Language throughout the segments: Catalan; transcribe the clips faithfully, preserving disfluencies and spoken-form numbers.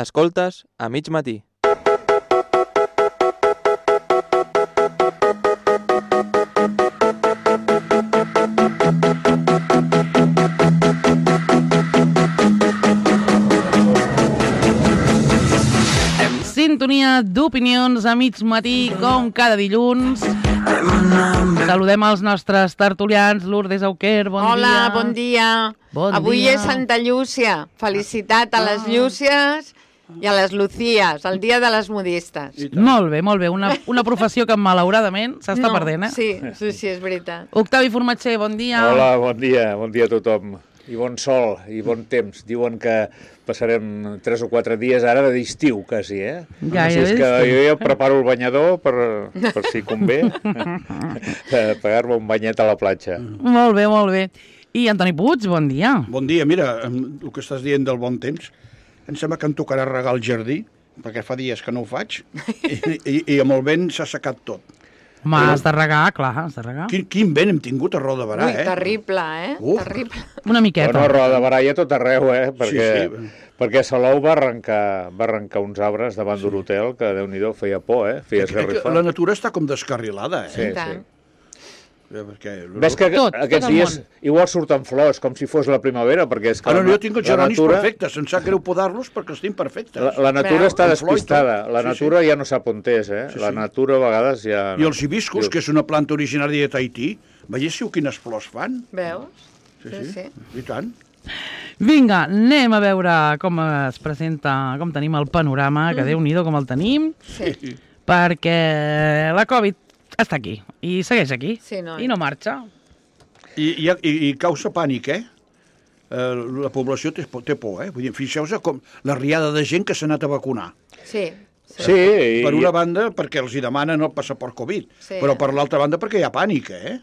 Escoltes a mig matí. Sintonia d'opinions a mig matí, com cada dilluns. Saludem els nostres tertulians. Lourdes Auquer, bon Hola, dia. Hola, bon dia. Bon Avui dia. és Santa Llúcia. Felicitat a les Llúcies i a les Lucías, el dia de les modistes. Molt bé, molt bé. Una, una professió que malauradament s'està No, perdent, eh? Sí, sí, sí, és veritat. Octavi Formatger, bon dia. Hola, bon dia, bon dia a tothom. I bon sol, i bon temps. Diuen que passarem tres o quatre dies ara d'estiu, quasi, eh? Gairebé Així és que estiu. jo ja preparo el banyador per, per si convé, pegar-me un banyet a la platja. Molt bé, molt bé. I Antoni Puig, bon dia. Bon dia, mira, el que estàs dient del bon temps, em sembla que em tocarà regar el jardí, perquè fa dies que no ho faig, i, i, i amb el vent s'ha secat tot. Home, has de regar, clar, has de regar. Quin, quin vent hem tingut a Roda de Barà, Ui, eh? terrible, eh? Uf. Terrible. Una miqueta. Bueno, Roda de Barà hi ha tot arreu, eh? Perquè, Sí, sí. perquè Salou va arrencar, va arrencar uns arbres davant d'un hotel que, Déu-n'hi-do, feia por, eh? Feia esgarrifar. La natura està com descarrilada, eh? Sí, I tant. sí. Perquè... Ves que Tot, aquests tot el dies món. igual surten flors, com si fos la primavera, perquè és que Ah, no, la, jo tinc els la geronis natura, perfectes, em sap greu podar-los perquè els tinc perfectes. la, la natura Veu? està Amb flor i despistada, tot. la Sí, natura ja no sap on és, eh? Sí, La sí. natura a vegades ja... I els hibiscus, que és una planta originària de Tahití, veiéssiu quines flors fan? Veus? Sí, Sí, sí, sí. i tant. Vinga, anem a veure com es presenta, com tenim el panorama, que Déu-n'hi-do com el tenim, Sí. perquè la Covid està aquí, i segueix aquí, Sí, noi. i no marxa. I, i, i, i causa pànic, eh? Eh, la població té, por- té por, eh? Vull dir, fixeu-vos com la riada de gent que s'ha anat a vacunar. Sí. Sí. Sí, i, Per una banda, perquè els hi demanen el passaport Covid, Sí. però per l'altra banda perquè hi ha pànic, eh?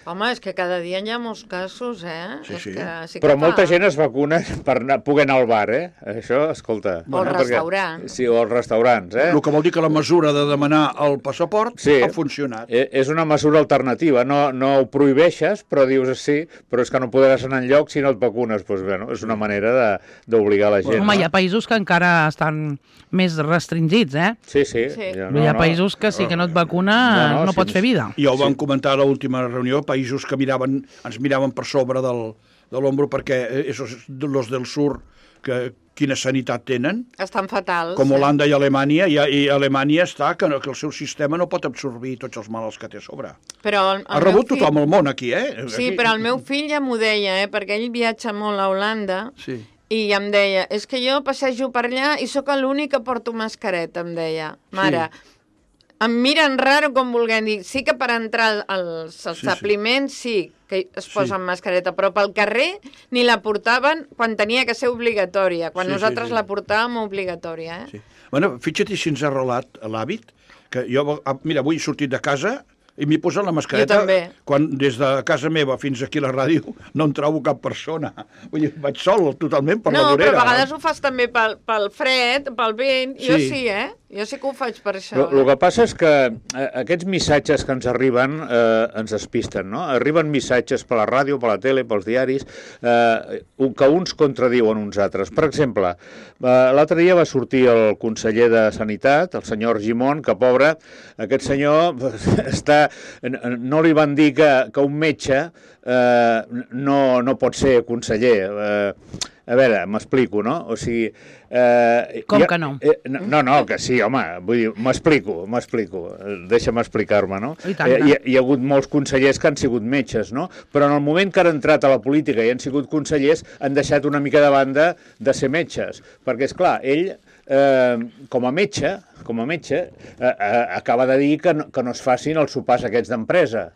Home, és que cada dia hi ha molts casos, eh? Sí, És sí. que sí que però fa. molta gent es vacuna per anar, poder anar al bar, eh? Això, escolta... O al perquè- restaurant. Sí, o als restaurants, eh? El que vol dir que la mesura de demanar el passaport Sí. ha funcionat. Eh, És una mesura alternativa, no, no ho prohibeixes, però dius sí, però és que no podràs anar enlloc si no et vacunes. Doncs, bueno, és una manera de- d'obligar la gent. Home, no? hi ha països que encara estan més restringits, eh? Sí, sí. Sí. ja hi ha països que si que no et vacuna No, no, no, no sí, pots fer vida. Ja ho vam comentar a l'última reunió, països que miraven, ens miraven per sobre del, de l'ombro perquè eh, esos, los del sur, que, quina sanitat tenen, Estan fatals. com eh? Holanda i Alemanya, i, i Alemanya està que, no, que el seu sistema no pot absorbir tots els malalts que té a sobre. Però el, el Ha meu rebut fill- tothom el món aquí, eh? Sí, Aquí- però el meu fill ja m'ho deia, eh? Perquè ell viatja molt a Holanda Sí. i em deia, és que jo passejo per allà i sóc l'únic que porto mascareta, em deia. Mare, em miren raro com vulguem dir. Sí que per entrar als sí. establiments sí, que es Sí. posen mascareta, però pel carrer ni la portaven quan tenia que ser obligatòria. Quan Sí, sí, nosaltres sí. la portàvem obligatòria, eh? Sí. Bueno, fixa't si ens ha arrelat l'hàbit, que jo, ah, mira, avui he sortit de casa i m'he posat la mascareta. Jo també. Quan des de casa meva fins aquí a la ràdio no em trobo cap persona. Vull dir, vaig sol totalment per la No, vorera. però a vegades ho fas també pel, pel fred, pel vent. Jo Sí. sí, eh? Jo sí que ho faig per això. El eh? que passa és que eh, aquests missatges que ens arriben eh, ens despisten, no? Arriben missatges per la ràdio, per la tele, pels diaris, eh, que uns contradiuen uns altres. Per exemple, eh, l'altre dia va sortir el conseller de Sanitat, el senyor Argimon, que pobre, aquest senyor està, no li van dir que, que un metge eh, no, no pot ser conseller. Eh, a veure, m'explico, no? O sigui... Eh, Com ja- que no? Eh, no, no, que sí, home, vull dir, m'explico, m'explico, deixa'm explicar-me, no? I tant, Eh, tant. hi, ha- hi ha hagut molts consellers que han sigut metges, no? Però en el moment que han entrat a la política i han sigut consellers, han deixat una mica de banda de ser metges, perquè, és clar, ell, eh, com a metge, com a metge, eh, eh, acaba de dir que no, que no es facin els sopars aquests d'empresa.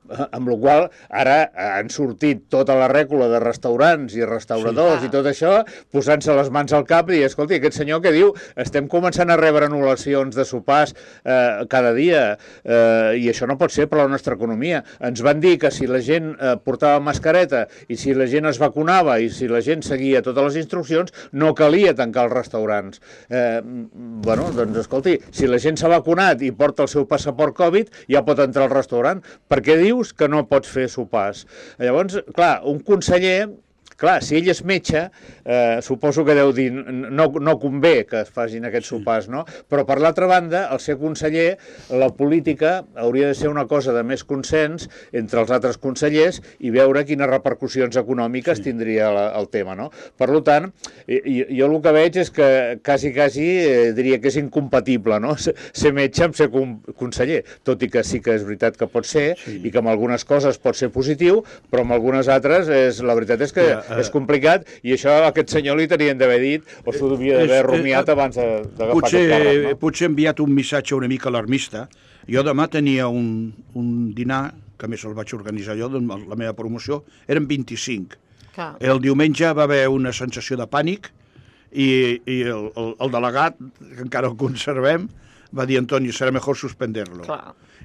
Amb la qual ara han sortit tota la rècula de restaurants i restauradors Sí. i tot això, posant-se les mans al cap i dir, escolti, aquest senyor que diu estem començant a rebre anul·lacions de sopars eh, cada dia eh, i això no pot ser per la nostra economia. Ens van dir que si la gent eh, portava mascareta i si la gent es vacunava i si la gent seguia totes les instruccions, no calia tancar els restaurants. Eh, bueno, doncs escolti, si la gent s'ha vacunat i porta el seu passaport Covid, ja pot entrar al restaurant. Per què diu que no pots fer sopars? Llavors, clar, un conseller Clar, si ell és metge, eh, suposo que deu dir no, no convé que es facin aquests sopars, no? Però per l'altra banda, al ser conseller, la política hauria de ser una cosa de més consens entre els altres consellers i veure quines repercussions econòmiques sí. tindria la, el tema, no? Per tant, jo el que veig és que quasi, quasi eh, diria que és incompatible, no? Ser metge amb ser conseller, tot i que sí que és veritat que pot ser sí. i que en algunes coses pot ser positiu, però en algunes altres és, la veritat és que ja, uh, és complicat i això a aquest senyor li tenien d'haver dit o s'ho devia d'haver rumiat uh, abans d'agafar aquest càrrec, no? Potser he enviat un missatge una mica alarmista. Jo demà tenia un, un dinar, que més el vaig organitzar jo, la meva promoció, eren vint-i-cinc. Clar. El diumenge va haver una sensació de pànic i, i el, el, el delegat, que encara el conservem, va dir, Antonio, serà millor suspender-lo.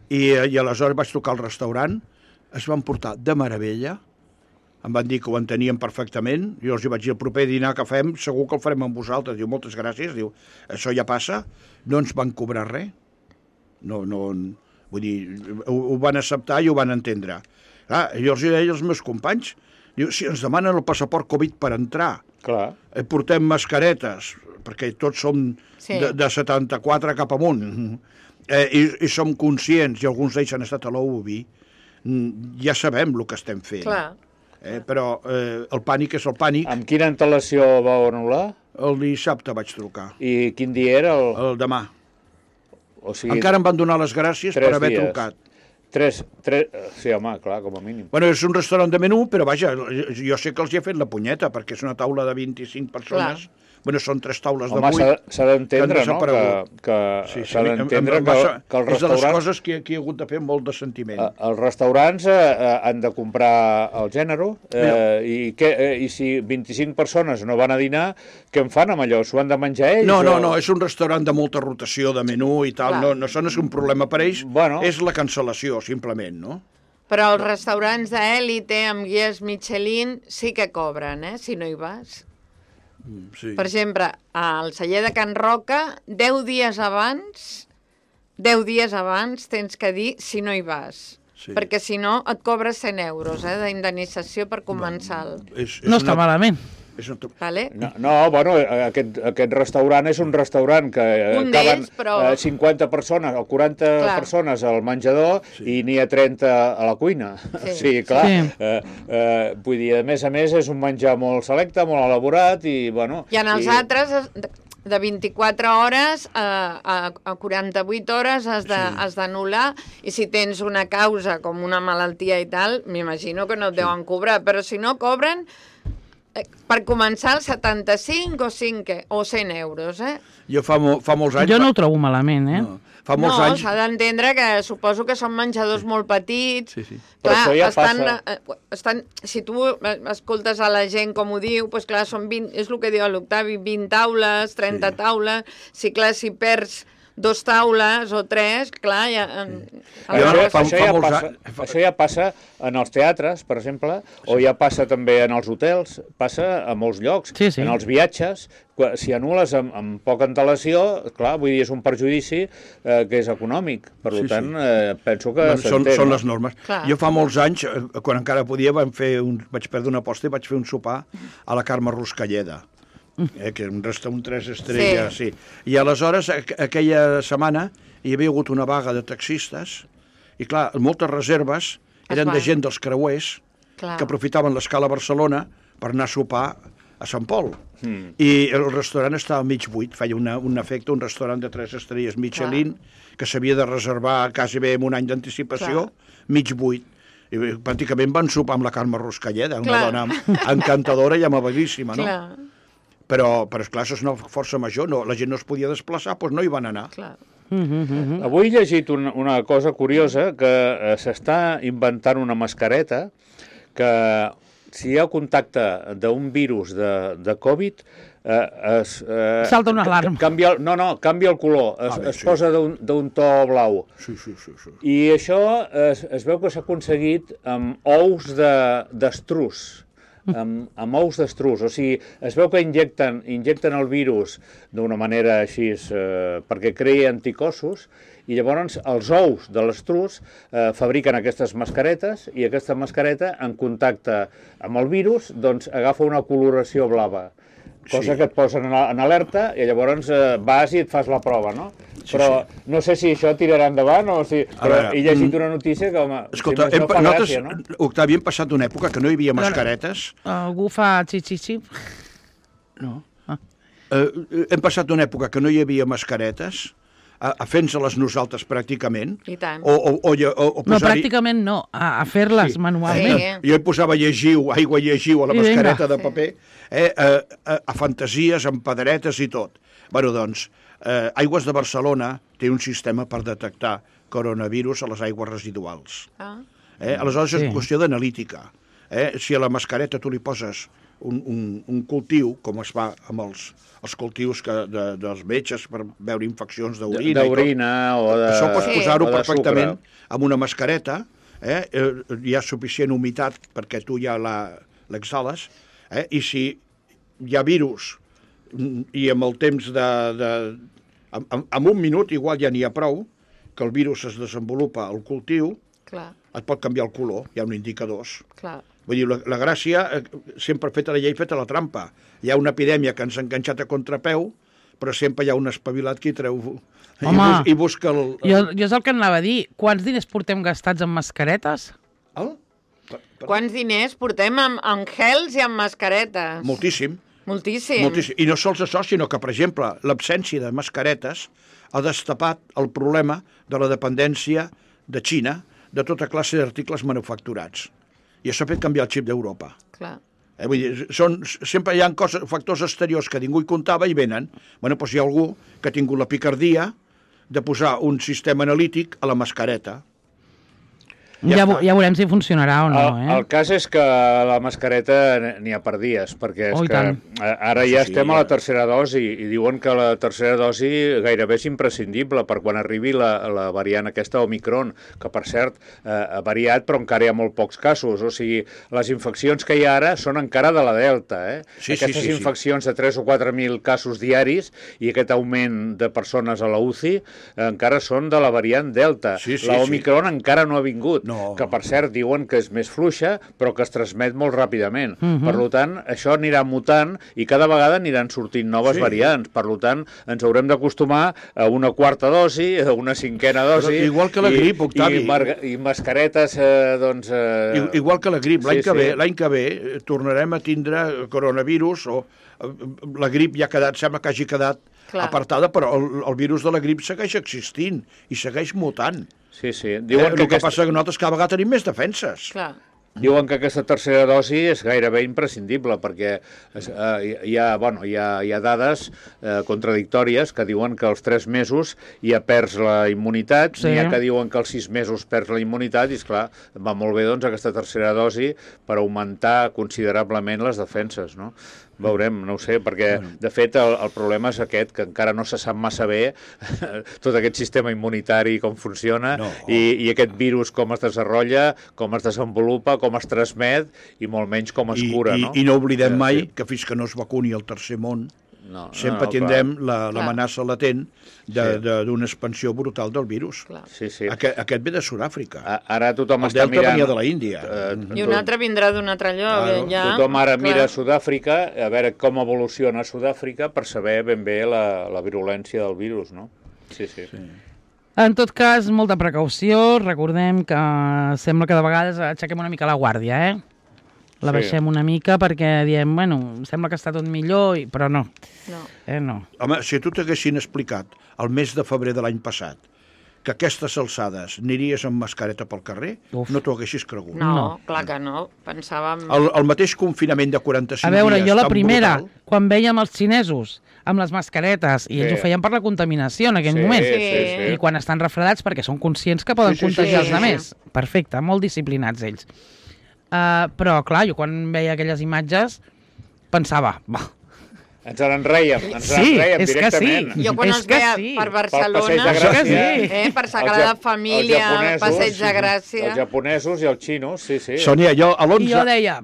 I, I aleshores vaig trucar al restaurant, es van portar de meravella, em van dir que ho entenien perfectament, jo els vaig dir, el proper dinar que fem, segur que el farem amb vosaltres. Diu, moltes gràcies, diu, això ja passa, no ens van cobrar res, no, no, vull dir, ho, ho van acceptar i ho van entendre. Clar, jo els deia als meus companys, diu, si ens demanen el passaport Covid per entrar, clar. Eh, portem mascaretes, perquè tots som sí. de, de setanta-quatre cap amunt, eh, i, i som conscients, i alguns d'ells han estat a l'O U B I, ja sabem el que estem fent. Clar. Eh, però eh, el pànic és el pànic. Amb quina antelació vau anul·lar? El dissabte vaig trucar. I quin dia era? El, el demà. O sigui, encara em van donar les gràcies per haver dies. trucat. Tres, tres... Sí, home, clar, com a mínim. Bueno, és un restaurant de menú, però vaja, jo sé que els hi he fet la punyeta, perquè és una taula de vint-i-cinc persones. Clar. Bueno, són tres taules de vuit. Home, s'ha d'entendre, no? Que, que sí, sí, s'ha d'entendre que, que els restaurants... És de les coses que, que he hagut de fer molt de sentiment. Eh, els restaurants eh, han de comprar el gènere, eh, i, que, eh, i si vint-i-cinc persones no van a dinar, què en fan amb allò? S'ho han de menjar ells? No, no, o... no, és un restaurant de molta rotació de menú i tal, no, no, això no és un problema per ells, bueno. És la cancel·lació, simplement, no? Però els restaurants d'èlite amb guies Michelin sí que cobren, eh, si no hi vas. Sí. Per exemple, al celler de Can Roca, deu dies abans, deu dies abans tens que dir si no hi vas. Sí. Perquè si no et cobres cent euros eh, d'indemnització per començar. No, és, és no està una... malament. Vale. No, no, bueno, aquest, aquest restaurant és un restaurant que un caben però... cinquanta persones o quaranta clar. Persones al menjador sí. I n'hi ha trenta a la cuina. Sí, sí clar. Sí. Eh, eh, vull dir, a més a més, és un menjar molt selecte, molt elaborat i, bueno... I en els i... altres, de vint-i-quatre hores a, a, a quaranta-vuit hores has d'anul·lar sí. I si tens una causa com una malaltia i tal, m'imagino que no et deuen sí. Cobrar, però si no cobren... Per començar, el setanta-cinc o cinc o cent euros, eh? Jo fa, mo, fa molts anys... Jo no ho trobo malament, eh? No, fa molts no anys... s'ha d'entendre que suposo que són menjadors molt petits. Sí, sí. Clar, però això ja estan, passa... Estan, si tu escoltes a la gent com ho diu, doncs clar, són vint, és el que diu l'Octavi, vint taules, trenta sí. Taules, si clar, si perds... dos taules o tres, clar, ja... Sí. Això, fa, això, ja passa, això ja passa en els teatres, per exemple, sí. O ja passa també en els hotels, passa a molts llocs, sí, sí. En els viatges, si anules amb, amb poca antelació, clar, vull dir, és un perjudici eh, que és econòmic, per sí, tant, sí. Eh, penso que bueno, són, són les normes. Clar. Jo fa molts anys, quan encara podia, vam fer un, vaig perdre una aposta i vaig fer un sopar a la Carme Ruscalleda. Eh, que un restaurant tres estrelles, sí. sí. I aleshores, aquella setmana, hi havia hagut una vaga de taxistes, i clar, moltes reserves eren de gent dels creuers, clar. Que aprofitaven l'escala a Barcelona per anar a sopar a Sant Pol. Mm. I el restaurant estava mig buit, feia una, un efecte, un restaurant de tres estrelles Michelin, clar. Que s'havia de reservar quasi bé amb un any d'anticipació, mig buit. I pràcticament van sopar amb la Carme Ruscalleda, una clar. Dona encantadora i amabilíssima, no? Clar. Però, però esclar, això és una força major, no, la gent no es podia desplaçar, doncs no hi van anar. Clar. Mm-hmm. Avui he llegit una, una cosa curiosa, que eh, s'està inventant una mascareta que si hi ha contacte d'un virus de, de Covid, eh, es, eh, salta una alarma. Canvia, no, no, canvia el color, es, ah, bé, es sí. Posa d'un to blau. Sí, sí, sí, sí. I això es, es veu que s'ha aconseguit amb ous d'estruç. De, amb, amb ous d'estrus. O sigui, es veu que injecten, injecten el virus d'una manera així eh, perquè creï anticossos, i llavors els ous de l'estrus eh, fabriquen aquestes mascaretes, i aquesta mascareta, en contacte amb el virus, doncs agafa una coloració blava, cosa sí. que et posen en alerta, i llavors eh, vas i et fas la prova, no? Sí, però sí. no sé si això tirarà endavant o si... Però veure, he llegit una notícia que, home, escolta, si no fa nosaltres, gràcia, no? Octavi, hem passat d'una època que no hi havia mascaretes. Algú fa xixixi? No. Ah. Eh, hem passat d'una època que no hi havia mascaretes a, a fent-se-les nosaltres pràcticament. I tant. O, o, o, o, o no, pràcticament no, a, a fer-les sí. manualment. Sí. Jo hi posava llegiu, aigua llegiu a la I mascareta venga. de paper, eh, a, a, a fantasies, amb pedretes i tot. Bueno, doncs, eh, Aigües de Barcelona té un sistema per detectar coronavirus a les aigües residuals. Ah. Eh? Aleshores sí. és qüestió d'analítica. Eh? Si a la mascareta tu li poses un, un, un cultiu, com es fa amb els, els cultius que, de, dels metges per veure infeccions d'orina... D'orina o de... Això pots posar-ho sí. perfectament amb una mascareta, eh? Hi ha suficient humitat perquè tu ja l'exhales, eh? I si hi ha virus i amb el temps de... de en, en un minut igual ja n'hi ha prou, que el virus es desenvolupa al cultiu, clar. Et pot canviar el color, hi ha un indicadors. Clar. Vull dir, la, la gràcia, sempre feta la llei, feta la trampa. Hi ha una epidèmia que ens ha enganxat a contrapeu, però sempre hi ha un espavilat que hi treu... Home, i, bus, i busca el... Jo, jo és el que anava a dir. Quants diners portem gastats en mascaretes? El? Per, per... Quants diners portem en, en gels i en mascaretes? Moltíssim. Moltíssim. Moltíssim. I no sols això, sinó que, per exemple, l'absència de mascaretes ha destapat el problema de la dependència de Xina de tota classe d'articles manufacturats. I això ha fet canviar el xip d'Europa. Clar. Eh, vull dir, són, sempre hi ha coses, factors exteriors que ningú hi comptava i venen. Bueno, doncs hi ha algú que ha tingut la picardia de posar un sistema analític a la mascareta. Ja, ja, ja veurem si funcionarà o no. El, eh? el cas és que la mascareta n'hi ha per dies, perquè és oh, que tant. ara ja sí, estem ja. a la tercera dosi i diuen que la tercera dosi gairebé és imprescindible per quan arribi la, la variant aquesta Omicron, que per cert eh, ha variat però encara hi ha molt pocs casos. O sigui, les infeccions que hi ha ara són encara de la Delta. Eh? Sí, Aquestes sí, sí, infeccions sí. de tres o quatre mil casos diaris i aquest augment de persones a la U C I eh, encara són de la variant Delta. Sí, sí, la Omicron sí. encara no ha vingut. No. Que, per cert, diuen que és més fluixa, però que es transmet molt ràpidament. Uh -huh. Per tant, això anirà mutant i cada vegada aniran sortint noves sí. variants. Per tant, ens haurem d'acostumar a una quarta dosi, a una cinquena dosi... Però igual que la grip, Octavi. I, i mascaretes, eh, doncs... Eh... Igual que la grip. L'any sí, que, sí. ve, que ve tornarem a tindre coronavirus o la grip ja ha quedat, sembla que hagi quedat Clar. apartada, però el, el virus de la grip segueix existint i segueix mutant. Sí, sí. Diuen eh, que el que aquesta... passa que nosaltres cada vegada tenim més defenses. Clar. Diuen que aquesta tercera dosi és gairebé imprescindible perquè eh, hi, ha, bueno, hi, ha, hi ha dades eh, contradictòries que diuen que als tres mesos ja perds la immunitat, sí. n'hi ha que diuen que als sis mesos perds la immunitat i, esclar, va molt bé doncs, aquesta tercera dosi per augmentar considerablement les defenses, no? Veurem, no ho sé, perquè de fet el, el problema és aquest, que encara no se sap massa bé tot aquest sistema immunitari com funciona no. i, i aquest virus com es desenvolupa, com es desenvolupa, com es transmet i molt menys com es I, cura. I, no? I no oblidem mai sí. que fins que no es vacuni el tercer món no, sempre no, no, tindrem l'amenaça la, latent d'una sí. expansió brutal del virus. Sí, sí. Aquest, aquest ve de Sud-àfrica. Ara tothom el està Delta mirant... venia de la Índia. Uh, I un altre vindrà d'un altre lloc. Claro. Ja. Tothom ara Clar. mira a Sud-àfrica, a veure com evoluciona Sud-àfrica per saber ben bé la, la virulència del virus, no? Sí, sí. sí. En tot cas, molta precaució. Recordem que sembla que de vegades aixequem una mica la guàrdia, eh? La sí. baixem una mica perquè diem, bueno, sembla que està tot millor, i... però no. No. Eh, no. Home, si tu t'haguessin explicat el mes de febrer de l'any passat que aquestes alçades aniries amb mascareta pel carrer, Uf. no t'ho haguessis cregut. No, no, clar que no. Pensàvem... El, el mateix confinament de quaranta-cinc dies... A veure, jo la primera, brutal... quan vèiem els xinesos amb les mascaretes, i sí. ells ho feien per la contaminació en aquell sí, moment, sí, sí. i quan estan refredats perquè són conscients que poden sí, sí, contagiar sí, els altres. Sí. Perfecte, molt disciplinats ells. Uh, però, clar, jo quan veia aquelles imatges pensava, bah, Ens en rèiem, ens en Sí, rèiem és que directament. sí. Jo quan És els que veia sí. per Barcelona, Pel Passeig de Gràcia. eh, per Els Sagrada ja- Família, els japonesos, Passeig de Gràcia... Els japonesos i els xinos, sí, sí. Sònia, jo a I jo l'onze deia,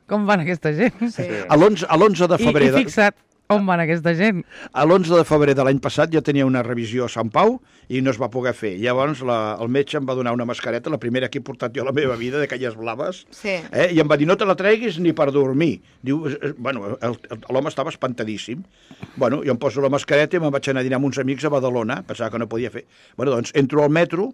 com van aquesta gent? Sí. a l'onze a l'onze de I, febrer... I de- fixa't, on van aquesta gent? A l'onze de febrer de l'any passat jo tenia una revisió a Sant Pau i no es va poder fer. Llavors la, el metge em va donar una mascareta, la primera que he portat jo a la meva vida, d'aquelles blaves, Sí. eh? I em va dir, no te la treguis ni per dormir. Diu, eh, eh, bueno, el- el- l'home estava espantadíssim. Bueno, jo em poso la mascareta i me'n vaig anar a dinar amb uns amics a Badalona, pensava que no podia fer. Bueno, doncs entro al metro...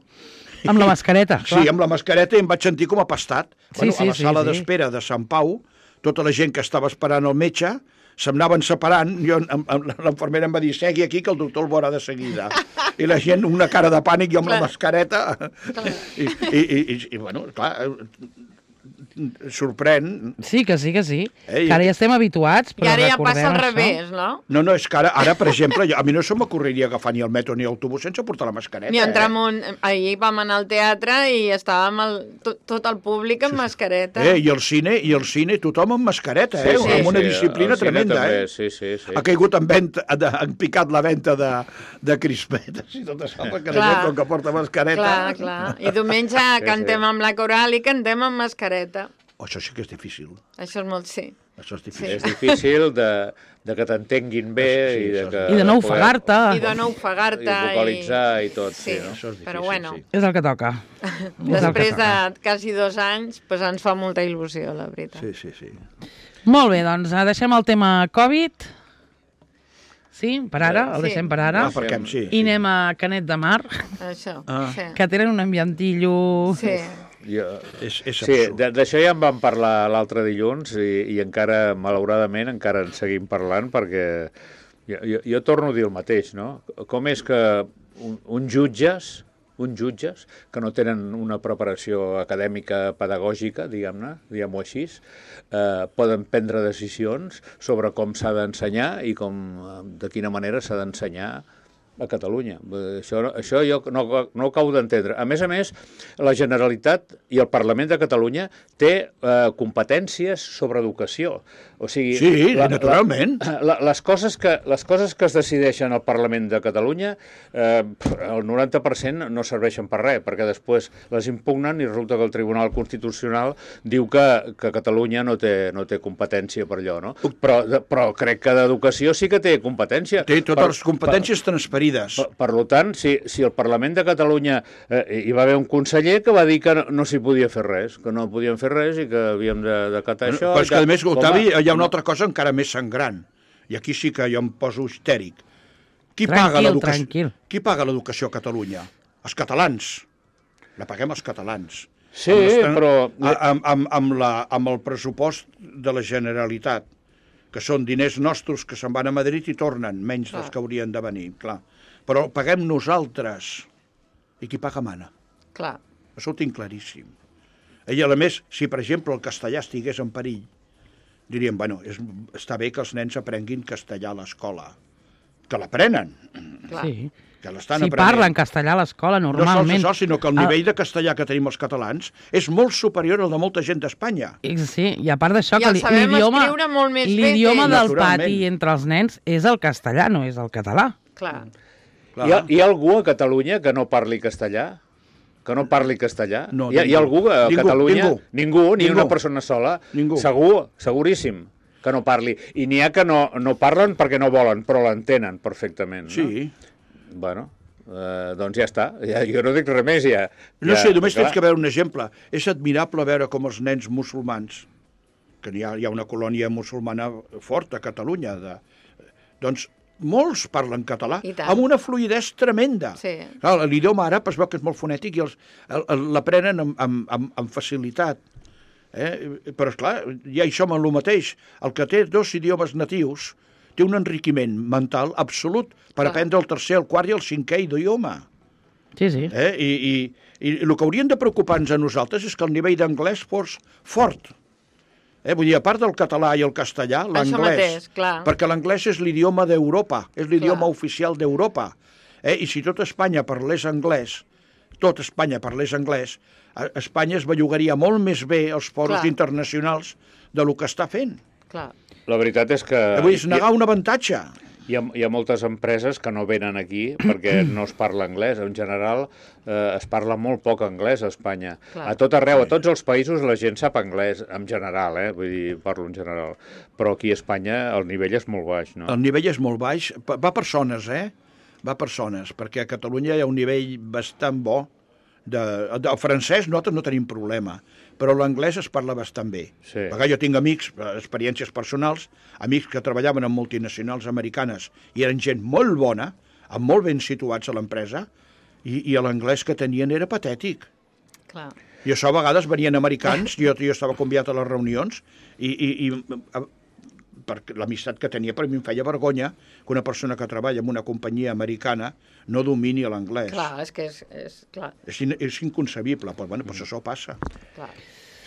Amb la mascareta, clar. Sí, amb la mascareta i em vaig sentir com a pastat. Sí, bueno, sí, a la sí, sala sí. d'espera de Sant Pau, tota la gent que estava esperant el metge se'm anaven separant, jo, em- em- l'infermera em va dir, segui aquí que el doctor el veurà de seguida. I la gent, una cara de pànic, jo amb Clar. la mascareta. I, i, i, i, i, bueno, clar, sorprèn. Sí, que sí, que sí. Ei, Que ara ja estem habituats, I però ara ja recordem passa al això. revés, no? No, no, és que ara, ara per exemple, jo, a mi no se m'ocorreria agafar ni el metro ni l'autobús sense portar la mascareta. Ni entrar en eh? un... Ahir vam anar al teatre i estàvem el... tot, tot el públic amb mascareta. Eh, i el cine, i el cine, tothom amb mascareta, eh? Sí, sí, amb una sí, disciplina el cine tremenda, també, eh? Sí, sí, sí. Ha caigut en venta, han picat la venda de, de crispetes i tot això, perquè la Clar. gent, com que porta mascareta... Clar, clar. I diumenge cantem amb la coral i cantem amb mascareta. Oh, això sí que és difícil. Això és molt sí. Això és Sí. difícil. És difícil de, de que t'entenguin bé Sí, i de això que... I de no poder- ofegar-te. I de no ofegar-te. I vocalitzar i tot, sí, no? Això és difícil, Però bueno, sí. És el que toca. després de quasi dos anys, pues ens fa molta il·lusió, la veritat. Sí, sí, sí. Molt bé, doncs eh, deixem el tema Covid. Sí, per ara, el Sí. deixem per ara. Ah, perquè sí. I anem a Canet de Mar, Això, Ah. sí. que tenen un ambientillo... Sí. Jo... És, és Sí, absurd. de- d'això ja en vam parlar l'altre dilluns i, i encara, malauradament, encara en seguim parlant perquè jo, jo, jo torno a dir el mateix, no? Com és que un, uns jutges, uns jutges que no tenen una preparació acadèmica pedagògica, diguem-ne, diguem-ho així, eh, poden prendre decisions sobre com s'ha d'ensenyar i com, eh, de quina manera s'ha d'ensenyar a Catalunya. Eh, Això, això jo no, no ho acabo d'entendre. A més a més, la Generalitat i el Parlament de Catalunya té eh, competències sobre educació. O sigui, Sí, naturalment. La, la, les, coses que, les coses que es decideixen al Parlament de Catalunya, eh, el noranta per cent no serveixen per res, perquè després les impugnen i resulta que el Tribunal Constitucional diu que, que Catalunya no té, no té competència per allò, no? Però, però crec que d'educació sí que té competència. Té totes Per- les competències transferides. per, per, per tant, si, si el Parlament de Catalunya eh, hi va haver un conseller que va dir que no, no s'hi podia fer res, que no podíem fer res i que havíem de, de catar això... Però és i que, tal. a més, Octavi, Home, hi ha una altra cosa encara més sangrant. I aquí sí que jo em poso histèric. Qui Tranquil, paga l'educació? tranquil. Qui paga l'educació a Catalunya? Els catalans. La paguem els catalans. Sí, Amb l'estan- però... a- Amb, amb, amb, la, amb el pressupost de la Generalitat, que són diners nostres que se'n van a Madrid i tornen, menys dels Clar. que haurien de venir, clar. Però el paguem nosaltres. I qui paga mana. Clar. Això ho tinc claríssim. I a més, si per exemple el castellà estigués en perill, diríem, bueno, és, està bé que els nens aprenguin castellà a l'escola. Que l'aprenen, Clar. Sí. que l'estan Si aprenent. parlen castellà a l'escola, No sols normalment... això, sinó que el nivell de castellà que tenim els catalans és molt superior al de molta gent d'Espanya. Eh, Sí, i a part d'això, I que el li- sabem l'idioma escriure molt més bé que l'idioma ells. del Naturalment. pati entre els nens és el castellà, no és el català. Clar. Clar. Hi ha, hi ha algú a Catalunya que no parli castellà? Que no parli castellà? No, hi, ha, hi ha algú a ningú, Catalunya? ningú. Ningú, ni Ningú. una persona sola? Ningú. Segur, seguríssim que no parli. I n'hi ha que no, no parlen perquè no volen, però l'entenen perfectament. No? Sí. Bueno, eh, doncs ja està. Ja, jo no dic res més, ja. No ja, sé, només clar. tens que veure un exemple. És admirable veure com els nens musulmans, que hi ha, hi ha una colònia musulmana forta a Catalunya, de, doncs molts parlen català, I tant. amb una fluïdesa tremenda. Sí. Clar, l'idioma àrab es veu que és molt fonètic i els, el- el- l'aprenen amb, amb, amb, amb facilitat. Eh? Però, esclar, ja hi som en el mateix. El que té dos idiomes natius té un enriquiment mental absolut per Clar. aprendre el tercer, el quart i el cinquè idioma. Sí, sí. Eh? I, i, I el que haurien de preocupar-nos a nosaltres és que el nivell d'anglès fos fort. Eh? Vull dir, a part del català i el castellà, Això l'anglès. mateix, clar. Perquè l'anglès és l'idioma d'Europa, és l'idioma Clar. oficial d'Europa. Eh? I si tot Espanya parlés anglès, tot Espanya parlés anglès, a- Espanya es bellugaria molt més bé als foros Clar. internacionals de lo que està fent. Clar. La veritat és que... Vull dir, és negar un avantatge. Hi ha, hi ha moltes empreses que no venen aquí perquè no es parla anglès. En general, eh, es parla molt poc anglès a Espanya. Clar. A tot arreu, a tots els països, la gent sap anglès, en general, eh? Vull dir, parlo en general. Però aquí a Espanya el nivell és molt baix, no? El nivell és molt baix. Va per zones, eh? Va per zones, perquè a Catalunya hi ha un nivell bastant bo. De, de, el francès nosaltres no tenim problema, però l'anglès es parla bastant bé. Sí. Perquè jo tinc amics, experiències personals, amics que treballaven en multinacionals americanes i eren gent molt bona, amb molt ben situats a l'empresa, i, i l'anglès que tenien era patètic. Clar. I això a vegades venien americans, jo, jo estava convidat a les reunions, i, i, i perquè l'amistat que tenia per mi em feia vergonya que una persona que treballa en una companyia americana no domini l'anglès. Clar, és que és... És, clar. és, in, és inconcebible, però bueno, pues això passa. Clar.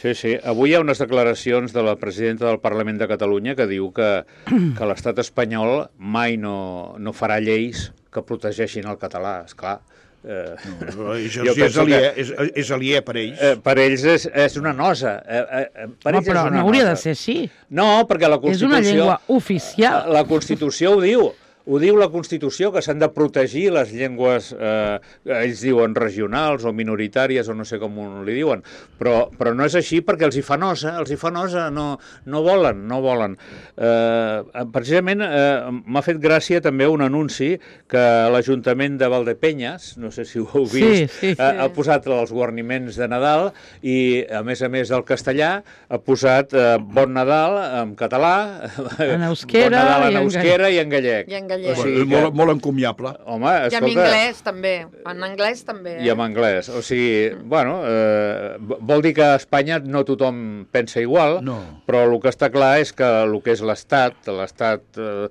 Sí, sí. Avui hi ha unes declaracions de la presidenta del Parlament de Catalunya que diu que, que l'estat espanyol mai no, no farà lleis que protegeixin el català, esclar. Eh, no, és, és, aliè, que, és, és aliè per ells. Eh, per ells és, és una nosa. Eh, eh, per no, ells però és una no hauria nosa. de ser així. No, perquè la Constitució... És una llengua oficial. La, la Constitució ho diu. Ho diu la Constitució, que s'han de protegir les llengües, eh, ells diuen regionals o minoritàries o no sé com li diuen, però, però no és així perquè els hi fa nosa, els hi fa nosa, no, no volen, no volen. Eh, precisament eh, m'ha fet gràcia també un anunci que l'Ajuntament de Valdepenyes, no sé si ho heu vist, sí, sí, ha, ha posat els guarniments de Nadal i, a més a més del castellà, ha posat eh, Bon Nadal en català, en euskera, Bon Nadal en i en euskera i en gallec. I en gallec. O sigui, que... molt, molt encomiable. Home, escolta, I en anglès també, en anglès també. Eh? I en anglès, o sigui, bueno, eh, vol dir que a Espanya no tothom pensa igual, no. Però el que està clar és que el que és l'Estat, l'Estat, eh,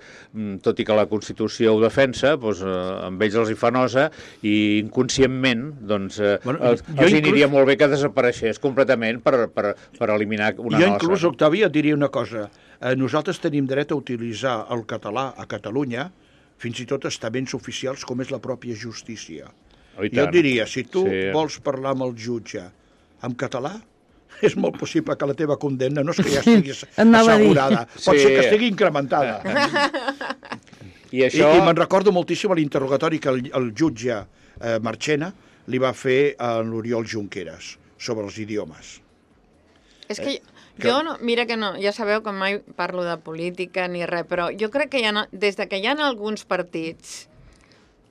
tot i que la Constitució ho defensa, doncs, eh, amb ells els hi fa nosa i inconscientment, doncs, eh, bueno, els, els inclús... aniria molt bé que desapareixés completament per, per, per eliminar una jo nosa. Jo inclús, Octavi, et diria una cosa. Eh, nosaltres tenim dret a utilitzar el català a Catalunya, fins i tot estaments oficials com és la pròpia justícia. Oh, jo et diria, si tu sí. vols parlar amb el jutge en català, és molt possible que la teva condemna no és que ja estigui assegurada, pot sí. ser que estigui incrementada. I, això... I, i me'n recordo moltíssim l'interrogatori que el, el jutge eh, Marchena li va fer a l'Oriol Junqueras sobre els idiomes. És que jo, no, mira que no, ja sabeu que mai parlo de política ni res, però jo crec que hi ha, des de que hi ha alguns partits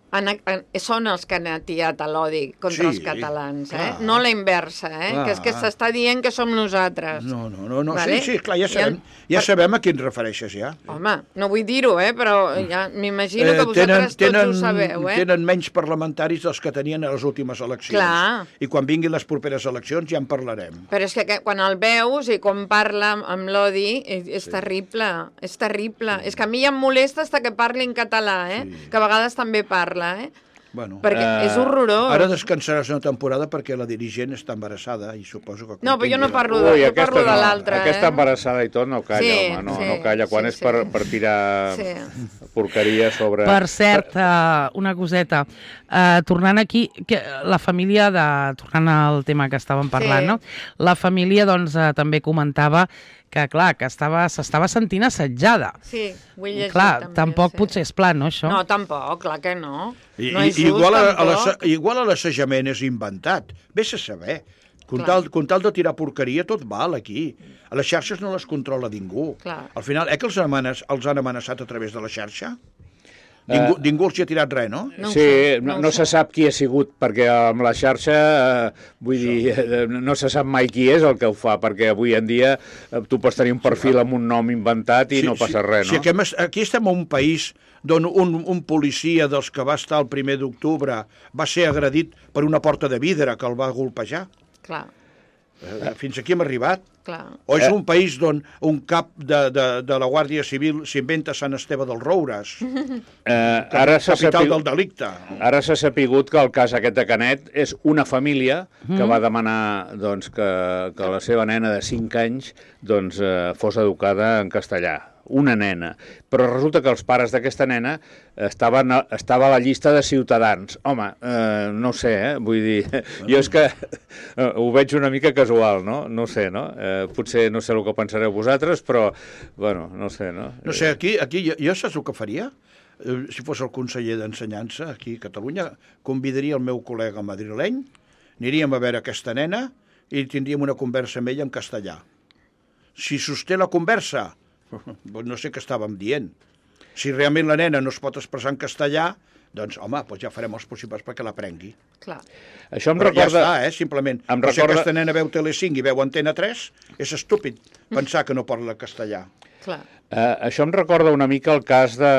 han, han, són els que han atiat a l'odi contra sí, els catalans, eh? No la inversa, eh? Clar. Que és que s'està dient que som nosaltres. No, no, no, no. Vale? Sí, sí, clar, ja sabem, ja per... sabem a qui ens refereixes, ja. Home, no vull dir-ho, eh? Però ja m'imagino que vosaltres tenen, tenen, tots ho sabeu, eh? Tenen menys parlamentaris dels que tenien a les últimes eleccions. Clar. I quan vinguin les properes eleccions ja en parlarem. Però és que, que quan el veus i com parla amb l'odi, és, és sí. terrible, és terrible. Sí. És que a mi ja em molesta fins que parli en català, eh? Sí. Que a vegades també parla, eh? Bueno, perquè uh, és horrorós. Ara descansaràs una temporada perquè la dirigent està embarassada i suposo que... No, però jo no parlo de, Ui, jo parlo de no, l'altra. Aquesta eh? embarassada i tot no calla, sí, home, no, sí, no calla. Quan sí, és per, per tirar sí. porqueria sobre... Per cert, uh, una coseta. Uh, tornant aquí, que la família, de, tornant al tema que estàvem parlant, sí. no? La família doncs, uh, també comentava que, clar, que s'estava sentint assetjada. Sí, ho he llegit clar, també. Tampoc sí. potser és pla, no, això? No, tampoc, clar que no. I, no és just, igual, tampoc. A igual a l'assajament és inventat. Vés a saber. Com tal, com tal de tirar porqueria, tot val aquí. A les xarxes no les controla ningú. Clar. Al final, eh que els, amenaç, els han amenaçat a través de la xarxa? Ningú, uh, ningú els hi ha tirat res, no? no sí, sé, no, no, no se sap qui ha sigut, perquè amb la xarxa, eh, vull Això. dir, eh, no se sap mai qui és el que ho fa, perquè avui en dia eh, tu pots tenir un perfil sí, amb un nom inventat i sí, no passa sí, res, no? Sí, aquí, aquí estem en un país d'on un, un policia dels que va estar el primer d'octubre va ser agredit per una porta de vidre que el va golpejar. Clar. Fins aquí hem arribat. Clar. O és un país d'on un cap de, de, de la Guàrdia Civil s'inventa Sant Esteve dels Roures, eh, ara capital sapigut, del delicte. Ara s'ha sapigut que el cas aquest de Canet és una família que mm. va demanar doncs, que, que la seva nena de cinc anys doncs, eh, fos educada en castellà. una nena, però resulta que els pares d'aquesta nena estaven a, estava a la llista de ciutadans. Home, eh, no sé, eh? Vull dir, jo és que eh, ho veig una mica casual, no? No sé, no? Eh, potser no sé el que pensareu vosaltres, però, bueno, no sé, no? No sé, aquí, aquí jo, jo saps el que faria? Si fos el conseller d'Ensenyança aquí a Catalunya, convidaria el meu col·lega madrileny, aniríem a veure aquesta nena i tindríem una conversa amb ella en castellà. Si sosté la conversa, no sé què estàvem dient. Si realment la nena no es pot expressar en castellà, doncs, home, doncs ja farem els possibles perquè l'aprengui. Clar. Això em Però recorda... ja està, eh, simplement. Em recorda... Si recorda... aquesta nena veu Telecinc i veu Antena tres, és estúpid pensar que no parla castellà. Clar. Eh, això em recorda una mica el cas de,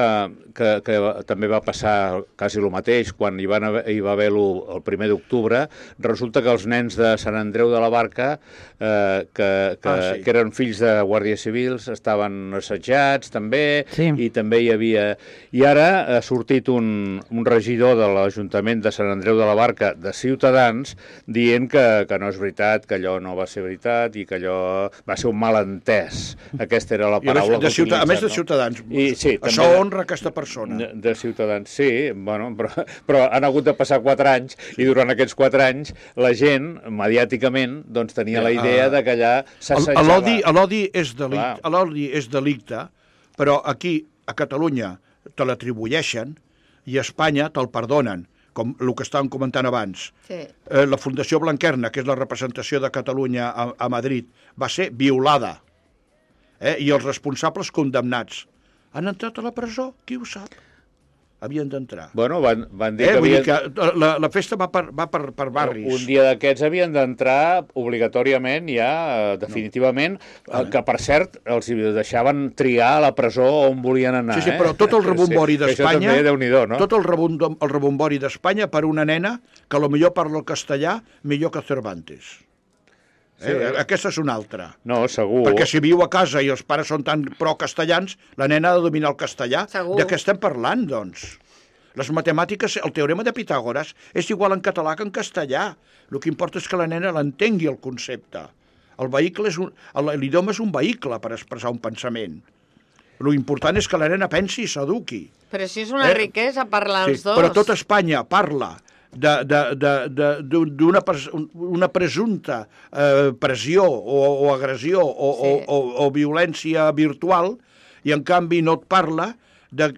que, que també va passar quasi el mateix quan hi, van haver, hi va haver el primer d'octubre. Resulta que els nens de Sant Andreu de la Barca, eh, que, que, ah, sí. que eren fills de guàrdies civils, estaven assetjats també, sí. i també hi havia... I ara ha sortit un, un regidor de l'Ajuntament de Sant Andreu de la Barca, de Ciutadans, dient que, que no és veritat, que allò no va ser veritat i que allò va ser un malentès. Aquesta era la paraula que A més de Ciutadans, I, sí, això honra aquesta persona. De, de Ciutadans, sí, bueno, però, però han hagut de passar quatre anys i durant aquests quatre anys la gent, mediàticament, doncs tenia la idea de que allà s'assetjava. L'odi és, delicte, és delicte, però aquí, a Catalunya, te l'atribueixen i a Espanya te'l perdonen, com el que estàvem comentant abans. Sí. Eh, la Fundació Blanquerna, que és la representació de Catalunya a, a Madrid, va ser violada. Eh? I els responsables condemnats. Han entrat a la presó? Qui ho sap? Havien d'entrar. Bueno, van, van dir eh? que havien... Que la, la festa va per, va per, per barris. Un dia d'aquests havien d'entrar obligatòriament ja, definitivament, no. que per cert els deixaven triar a la presó on volien anar. Sí, sí, però tot el rebombori sí, d'Espanya, no? tot el, rebom, el rebombori d'Espanya per una nena que potser parla el castellà millor que Cervantes. Sí. Eh? Aquesta és una altra. No, segur. Perquè si viu a casa i els pares són tan pro-castellans, la nena ha de dominar el castellà. Segur. De què estem parlant, doncs? Les matemàtiques, el teorema de Pitàgores, és igual en català que en castellà. El que importa és que la nena l'entengui, el concepte. El vehicle és un... L'idioma és un vehicle per expressar un pensament. L'important és que la nena pensi i s'eduqui. Però si és una eh? riquesa parlar sí, els dos. Però tot Espanya parla d'una una presumpta eh, pressió o, o agressió o, sí. o, o, o violència virtual i en canvi no et parla de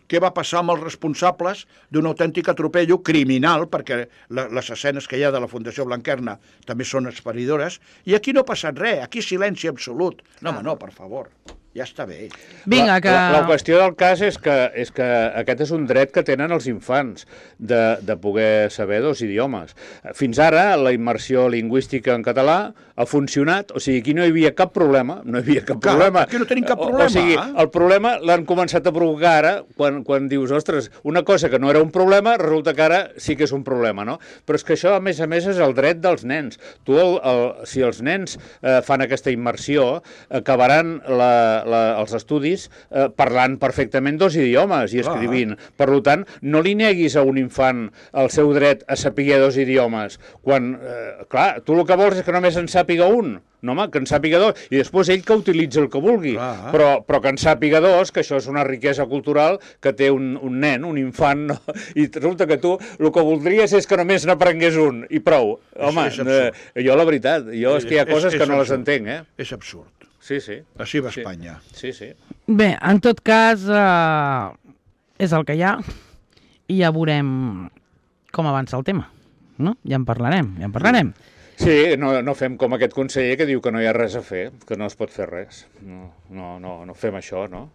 què va passar amb els responsables d'un autèntic atropello criminal, perquè la, les escenes que hi ha de la Fundació Blanquerna també són esferidores, i aquí no ha passat res, aquí silenci absolut. No, home, no, per favor. Ja està bé. Vinga, que... la, la qüestió del cas és que, és que aquest és un dret que tenen els infants de, de poder saber dos idiomes. Fins ara la immersió lingüística en català ha funcionat, o sigui, aquí no hi havia cap problema, no hi havia cap Clar, problema. Aquí no tenim cap problema. O, o sigui, el problema l'han començat a provocar ara, quan, quan dius, ostres, una cosa que no era un problema, resulta que ara sí que és un problema, no? Però és que això, a més a més, és el dret dels nens. Tu, el, el, si els nens eh, fan aquesta immersió, acabaran la La, els estudis eh, parlant perfectament dos idiomes i escrivint. Ah. Per tant, no li neguis a un infant el seu dret a saber dos idiomes. Quan, eh, clar, tu el que vols és que només en sàpiga un. No, home, que en sàpiga dos, i després ell que utilitzi el que vulgui, ah. però, però que en sàpiga dos, que això és una riquesa cultural que té un, un nen, un infant, no? I resulta que tu el que voldries és que només n'aprengués un, i prou. Home, és, és eh, jo la veritat, jo és que hi ha coses és, és que no absurd. Les entenc, eh? És absurd. Sí, sí. Així va sí. Espanya. Sí, sí. Bé, en tot cas, eh, és el que hi ha i ja veurem com avança el tema, no? Ja en parlarem, ja en parlarem. Sí, no, no fem com aquest conseller que diu que no hi ha res a fer, que no es pot fer res. No, no, no, no fem això, no?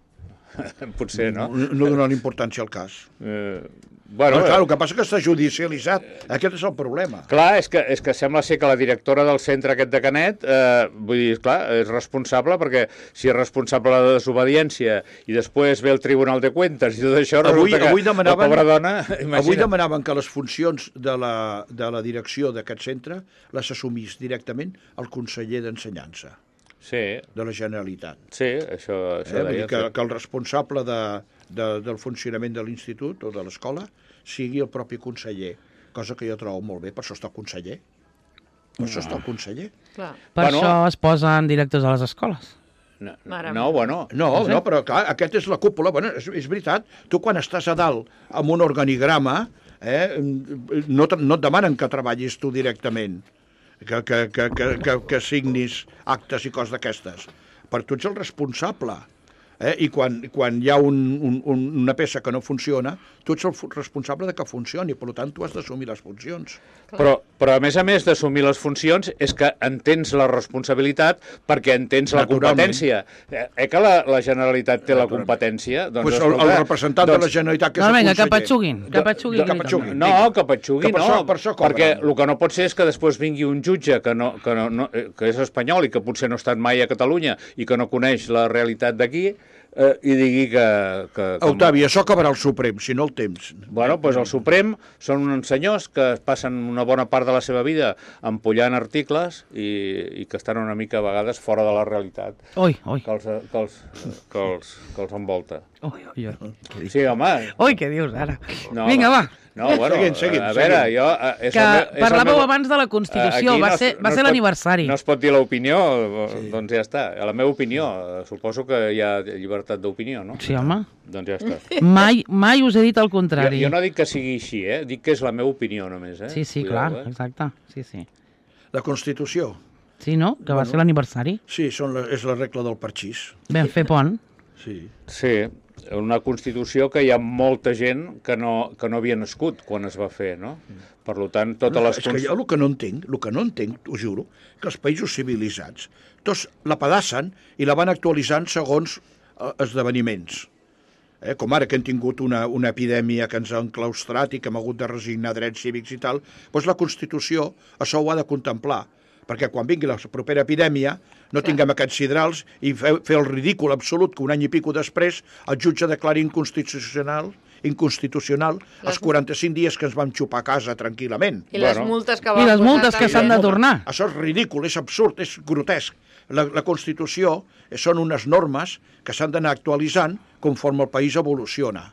Potser, no? No, no donar importància al cas. Eh, bueno, no, clar, el que passa és que està judicialitzat. Aquest és el problema. Clar, és que, és que sembla ser que la directora del centre aquest de Canet, eh, vull dir, clar, és responsable, perquè si és responsable de la desobediència i després ve el Tribunal de Cuentas i tot això, avui, resulta avui que demanaven, la pobra dona... Imagina. Avui demanaven que les funcions de la, de la direcció d'aquest centre les assumís directament el conseller d'Ensenyança. Sí. De la Generalitat. Sí, això, això eh? Vull dir que, que el responsable de, de, del funcionament de l'institut o de l'escola sigui el propi conseller, cosa que jo trobo molt bé, per això està el conseller. Per no. això està el conseller. Clar. Per bueno, això es posen directors a les escoles. No, no, bueno... No, no, però clar, aquest és la cúpula. Bueno, és, és veritat, tu quan estàs a dalt amb un organigrama, eh, no, no et demanen que treballis tu directament, que, que, que, que, que, que signis actes i coses d'aquestes. Per tu ets el responsable. Eh? I quan, quan hi ha un, un, una peça que no funciona, tu ets el responsable de que funcioni, per tant, tu has d'assumir les funcions. Però, però, a més a més d'assumir les funcions, és que entens la responsabilitat perquè entens la competència. Eh, eh que la, la Generalitat té la competència? Doncs, pues el, el representant doncs, de la Generalitat, que és no, el vinga, conseller. Que patxuguin, que patxuguin. Que patxuguin. No, que patxuguin, que per no, això, per això perquè el que no pot ser és que després vingui un jutge que, no, que, no, no, que és espanyol i que potser no ha estat mai a Catalunya i que no coneix la realitat d'aquí, Eh, i digui que... que, que Octavi, això acabarà el Suprem, si no el temps. Bueno, doncs el Suprem són uns senyors que passen una bona part de la seva vida empollant articles i, i que estan una mica a vegades fora de la realitat. Oi, oi. Que els, que els, que els, que els envolta. Oi, oi, oi. Sí, home. Oi, què dius ara? No, Vinga, va. No, bueno, seguim, seguim, a veure, seguim. jo... És que el, és parlàveu meu... abans de la Constitució, va no, ser, va no ser l'aniversari. No es pot dir l'opinió, sí. Doncs ja està. La meva opinió, suposo que hi ha llibertat d'opinió, no? Sí, home. Doncs ja està. Mai, mai us he dit el contrari. Jo, jo no dic que sigui així, eh? Dic que és la meva opinió només, eh? Sí, sí, Cuidao, clar, eh? exacte. Sí, sí. La Constitució? Sí, no? Que va Bueno. ser l'aniversari. Sí, són la, és la regla del parxís. Vam fer pont. Sí. Sí, una Constitució que hi ha molta gent que no, que no havia nascut quan es va fer, no? Per tant, totes No, les... és que jo el que no entenc, el que no entenc, ho juro, que els països civilitzats tots la pedassen i la van actualitzant segons eh, esdeveniments. Eh, com ara que hem tingut una, una epidèmia que ens ha enclaustrat i que hem hagut de resignar drets cívics i tal, doncs la Constitució això ho ha de contemplar, perquè quan vingui la propera epidèmia no tinguem aquests sidrals i fer, fer el ridícul absolut que un any i pico després el jutge declari inconstitucional inconstitucional les... els quaranta-cinc dies que ens vam xupar a casa tranquil·lament. I les bueno. multes que I van les multes que s'han de tornar. Això és ridícul, és absurd, és grotesc. La, la Constitució són unes normes que s'han d'anar actualitzant conforme el país evoluciona.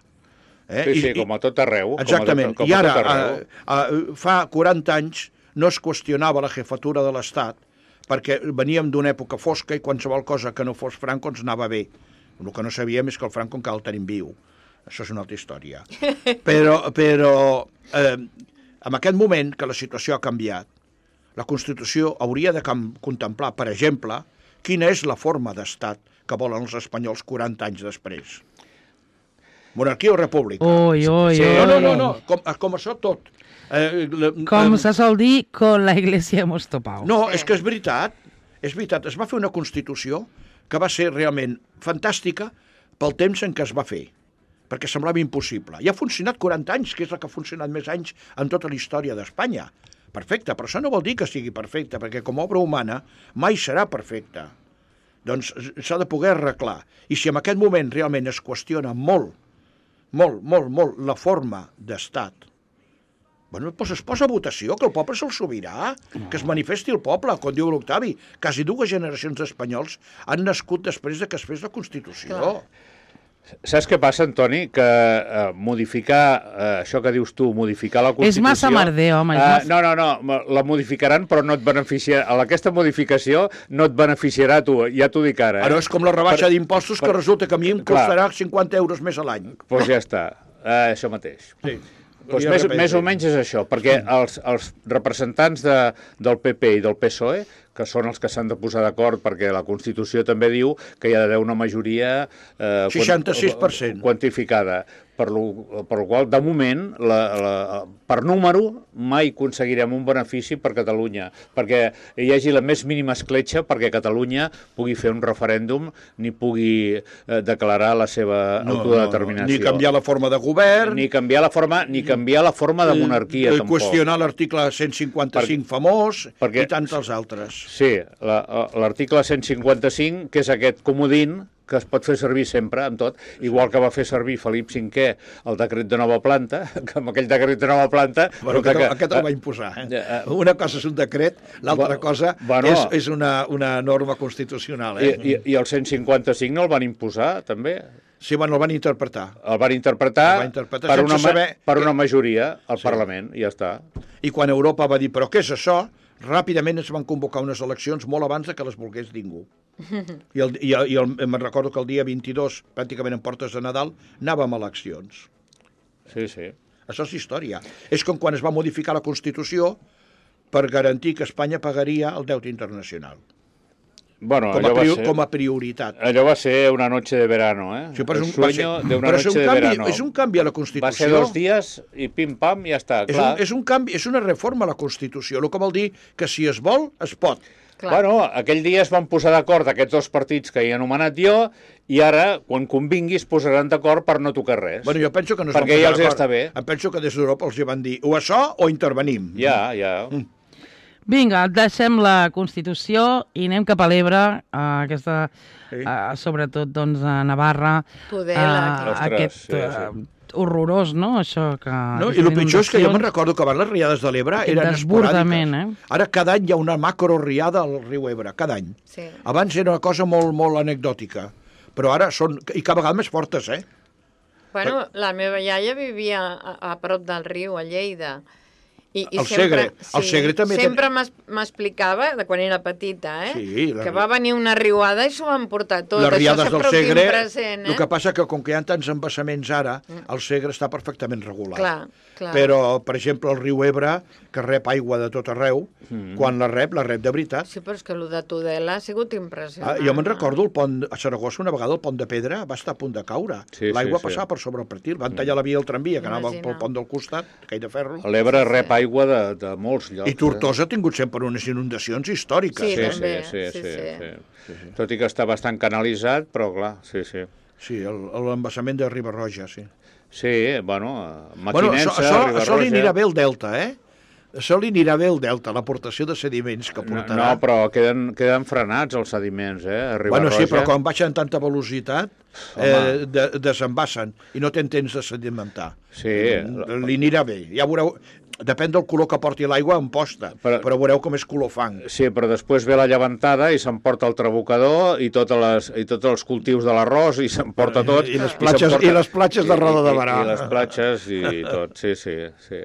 Eh? Sí, sí, I, com a tot arreu. Exactament. Com a tot, com I ara, a tot arreu. a, a, fa quaranta anys no es qüestionava la jefatura de l'Estat perquè veníem d'una època fosca i qualsevol cosa que no fos Franco ens anava bé. El que no sabíem és que el Franco encara el tenim viu. Això és una altra història. Però, però eh, en aquest moment que la situació ha canviat, la Constitució hauria de contemplar, per exemple, quina és la forma d'estat que volen els espanyols quaranta anys després. Monarquia o república? Ui, ui, sí, ui. No, no, no, no. Com, com això tot. Eh, la, Com eh, se sol dir, con la iglesia hemos topado. No, és que és veritat. És veritat. Es va fer una Constitució que va ser realment fantàstica pel temps en què es va fer, perquè semblava impossible. I ha funcionat quaranta anys, que és la que ha funcionat més anys en tota la història d'Espanya. Perfecte, però això no vol dir que sigui perfecte, perquè com a obra humana mai serà perfecta. Doncs s'ha de poder arreglar. I si en aquest moment realment es qüestiona molt, molt, molt, molt la forma d'estat, bueno, doncs es posa a votació, que el poble és el sobirà, que es manifesti el poble, com diu l'Octavi. Quasi dues generacions d'espanyols han nascut després de que es fes la Constitució. Clar. Saps què passa, Antoni? Que eh, modificar, eh, això que dius tu, modificar la Constitució... És massa merder, home. És Eh, massa... no, no, no, la modificaran, però no et beneficiarà... Aquesta modificació no et beneficiarà a tu, ja t'ho dic ara. Eh? Ara és com la rebaixa Per- d'impostos per- que resulta que a mi em Clar. costarà cinquanta euros més a l'any. Doncs pues ja està, eh, això mateix. Sí. Pues més, més o menys és això, perquè els, els representants de, del P P i del P S O E, que són els que s'han de posar d'acord, perquè la Constitució també diu que hi ha d'haver una majoria eh, seixanta-sis per cent quantificada, per lo, per lo qual, de moment, la, la, per número, mai aconseguirem un benefici per Catalunya, perquè hi hagi la més mínima escletxa perquè Catalunya pugui fer un referèndum ni pugui eh, declarar la seva no, autodeterminació. No, no. Ni canviar la forma de govern... Ni canviar la forma, ni canviar la forma de monarquia, eh, tampoc. Qüestionar l'article cent cinquanta-cinc per, famós perquè, i tants els altres. Sí, l'article cent cinquanta-cinc, que és aquest comodín que es pot fer servir sempre, amb tot, igual que va fer servir Felip cinquè el decret de nova planta, que amb aquell decret de nova planta... Bueno, aquest, que, aquest el va imposar. Eh? Uh, una cosa és un decret, l'altra cosa bueno, és, és una, una norma constitucional. Eh? I, i, I el cent cinquanta-cinc no el van imposar, també? Sí, bueno, el van interpretar. El van interpretar, el van interpretar per, una, saber per que... una majoria al sí. Parlament, i ja està. I quan Europa va dir, però què és això? Ràpidament es van convocar unes eleccions molt abans de que les volgués ningú. I, el, i, el, i el, me'n recordo que el dia vint-i-dos, pràcticament en portes de Nadal, anàvem a eleccions. Sí, sí. Això és història. És com quan es va modificar la Constitució per garantir que Espanya pagaria el deute internacional. Bueno, com, a allò va prior, ser, com a prioritat. Allò va ser una noche de verano, eh? Sí, però és un, el sueño ser, de una però noche és un de canvi, verano. És un canvi a la Constitució. Va ser dos dies i pim-pam, ja està, és clar. Un, és un canvi, és una reforma a la Constitució, el que vol dir que si es vol, es pot. Clar. Bueno, aquell dia es van posar d'acord aquests dos partits que he anomenat jo i ara, quan convingui, es posaran d'acord per no tocar res. Bueno, jo penso que no es perquè van ja posar els d'acord. està bé. Em penso que des d'Europa els hi van dir o això o intervenim. Ja, ja. Mm. Vinga, deixem la Constitució i anem cap a l'Ebre, uh, aquesta, Sí. uh, sobretot doncs, a Navarra, Tudela, clar. Ostres, aquest sí, sí. uh, horrorós, no?, això que... No, I el pitjor és que jo me'n recordo que abans les riades de l'Ebre Aquest eren desbordament, esporàdiques. Ara cada any hi ha una macroriada al riu Ebre, cada any. Sí. Abans era una cosa molt, molt anecdòtica, però ara són, i cada vegada més fortes, eh? Bueno, la meva iaia vivia a, a prop del riu, a Lleida. I, i El Segre, el Segre també sempre ten- m'es- m'explicava, de quan era petita, eh? Sí, la- que va venir una riuada i s'ho van portar tot. Les riades Això del sempre ho tinc Segre, present, eh? el que passa que com que hi ha tants embassaments ara, el Segre està perfectament regulat. Clar, clar. Però, per exemple, el riu Ebre, que rep aigua de tot arreu, mm. quan la rep, la rep de veritat. Sí, però és que el de Tudela ha sigut Ah, impressionant. jo me'n recordo el pont, a Saragossa una vegada el pont de pedra va estar a punt de caure. Sí, L'aigua sí, sí. passava per sobre el pretil. Van tallar la via del tramvia que anava Imagina. pel pont del costat, aquell de ferro. L'Ebre rep aigua de, de molts llocs. I Tortosa ha tingut sempre unes inundacions històriques. Sí, Sí, sí, també, sí, sí, sí, sí, sí. sí. Tot i que està bastant canalitzat, però clar, sí, sí. Sí, el- l'embassament de Riba-roja, sí. Sí, bueno, Bueno, Maquinensa, això, això, això li Riba-roja... anirà bé el Delta, eh? Això li anirà bé el Delta, l'aportació de sediments que No, portarà. no, però queden, queden frenats els sediments, eh? A Bueno, sí, Riba-roja. però quan baixen a tanta velocitat, eh, de, desembassen i no tenen temps de sedimentar. Sí. Li anirà bé. Ja veureu, depèn del color que porti l'aigua en posta, però, Però- però veureu com és color fang. Sí, però després ve la llevantada i s'emporta el trabucador i, totes les, i tots els cultius de l'arròs i s'emporta tot. I les platges- i les platges de Roda de Barà. I, i les platges i tot, sí, sí, sí.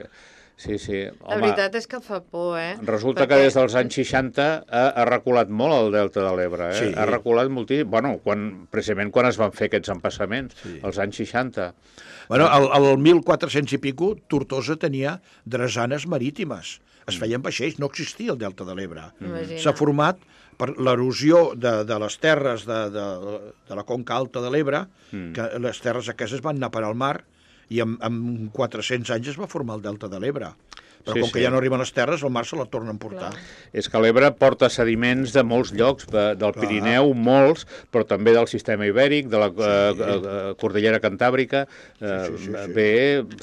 Sí, sí. La veritat és que fa por, eh? Resulta Perquè- que des dels anys seixanta ha, ha reculat molt el delta de l'Ebre, eh? Sí. Ha reculat moltíssim, bueno, quan, precisament quan es van fer aquests empassaments, sí. als anys seixanta. Bueno, al, al mil quatre-cents i pico, Tortosa tenia drasanes marítimes. Es feien vaixells, no existia el Delta de l'Ebre. Imagina. S'ha format per l'erosió de, de les terres de, de, de la conca alta de l'Ebre, mm. que les terres aquestes van anar per al mar, i en, en quatre-cents anys es va formar el Delta de l'Ebre. Però Sí, com que sí. ja no arriben les terres, el mar se la torna a emportar. És que l'Ebre porta sediments de molts llocs, de, del Clar. Pirineu, molts, però també del sistema ibèric, de la sí. eh, eh, Cordillera Cantàbrica, eh, Sí, sí, sí, sí. ve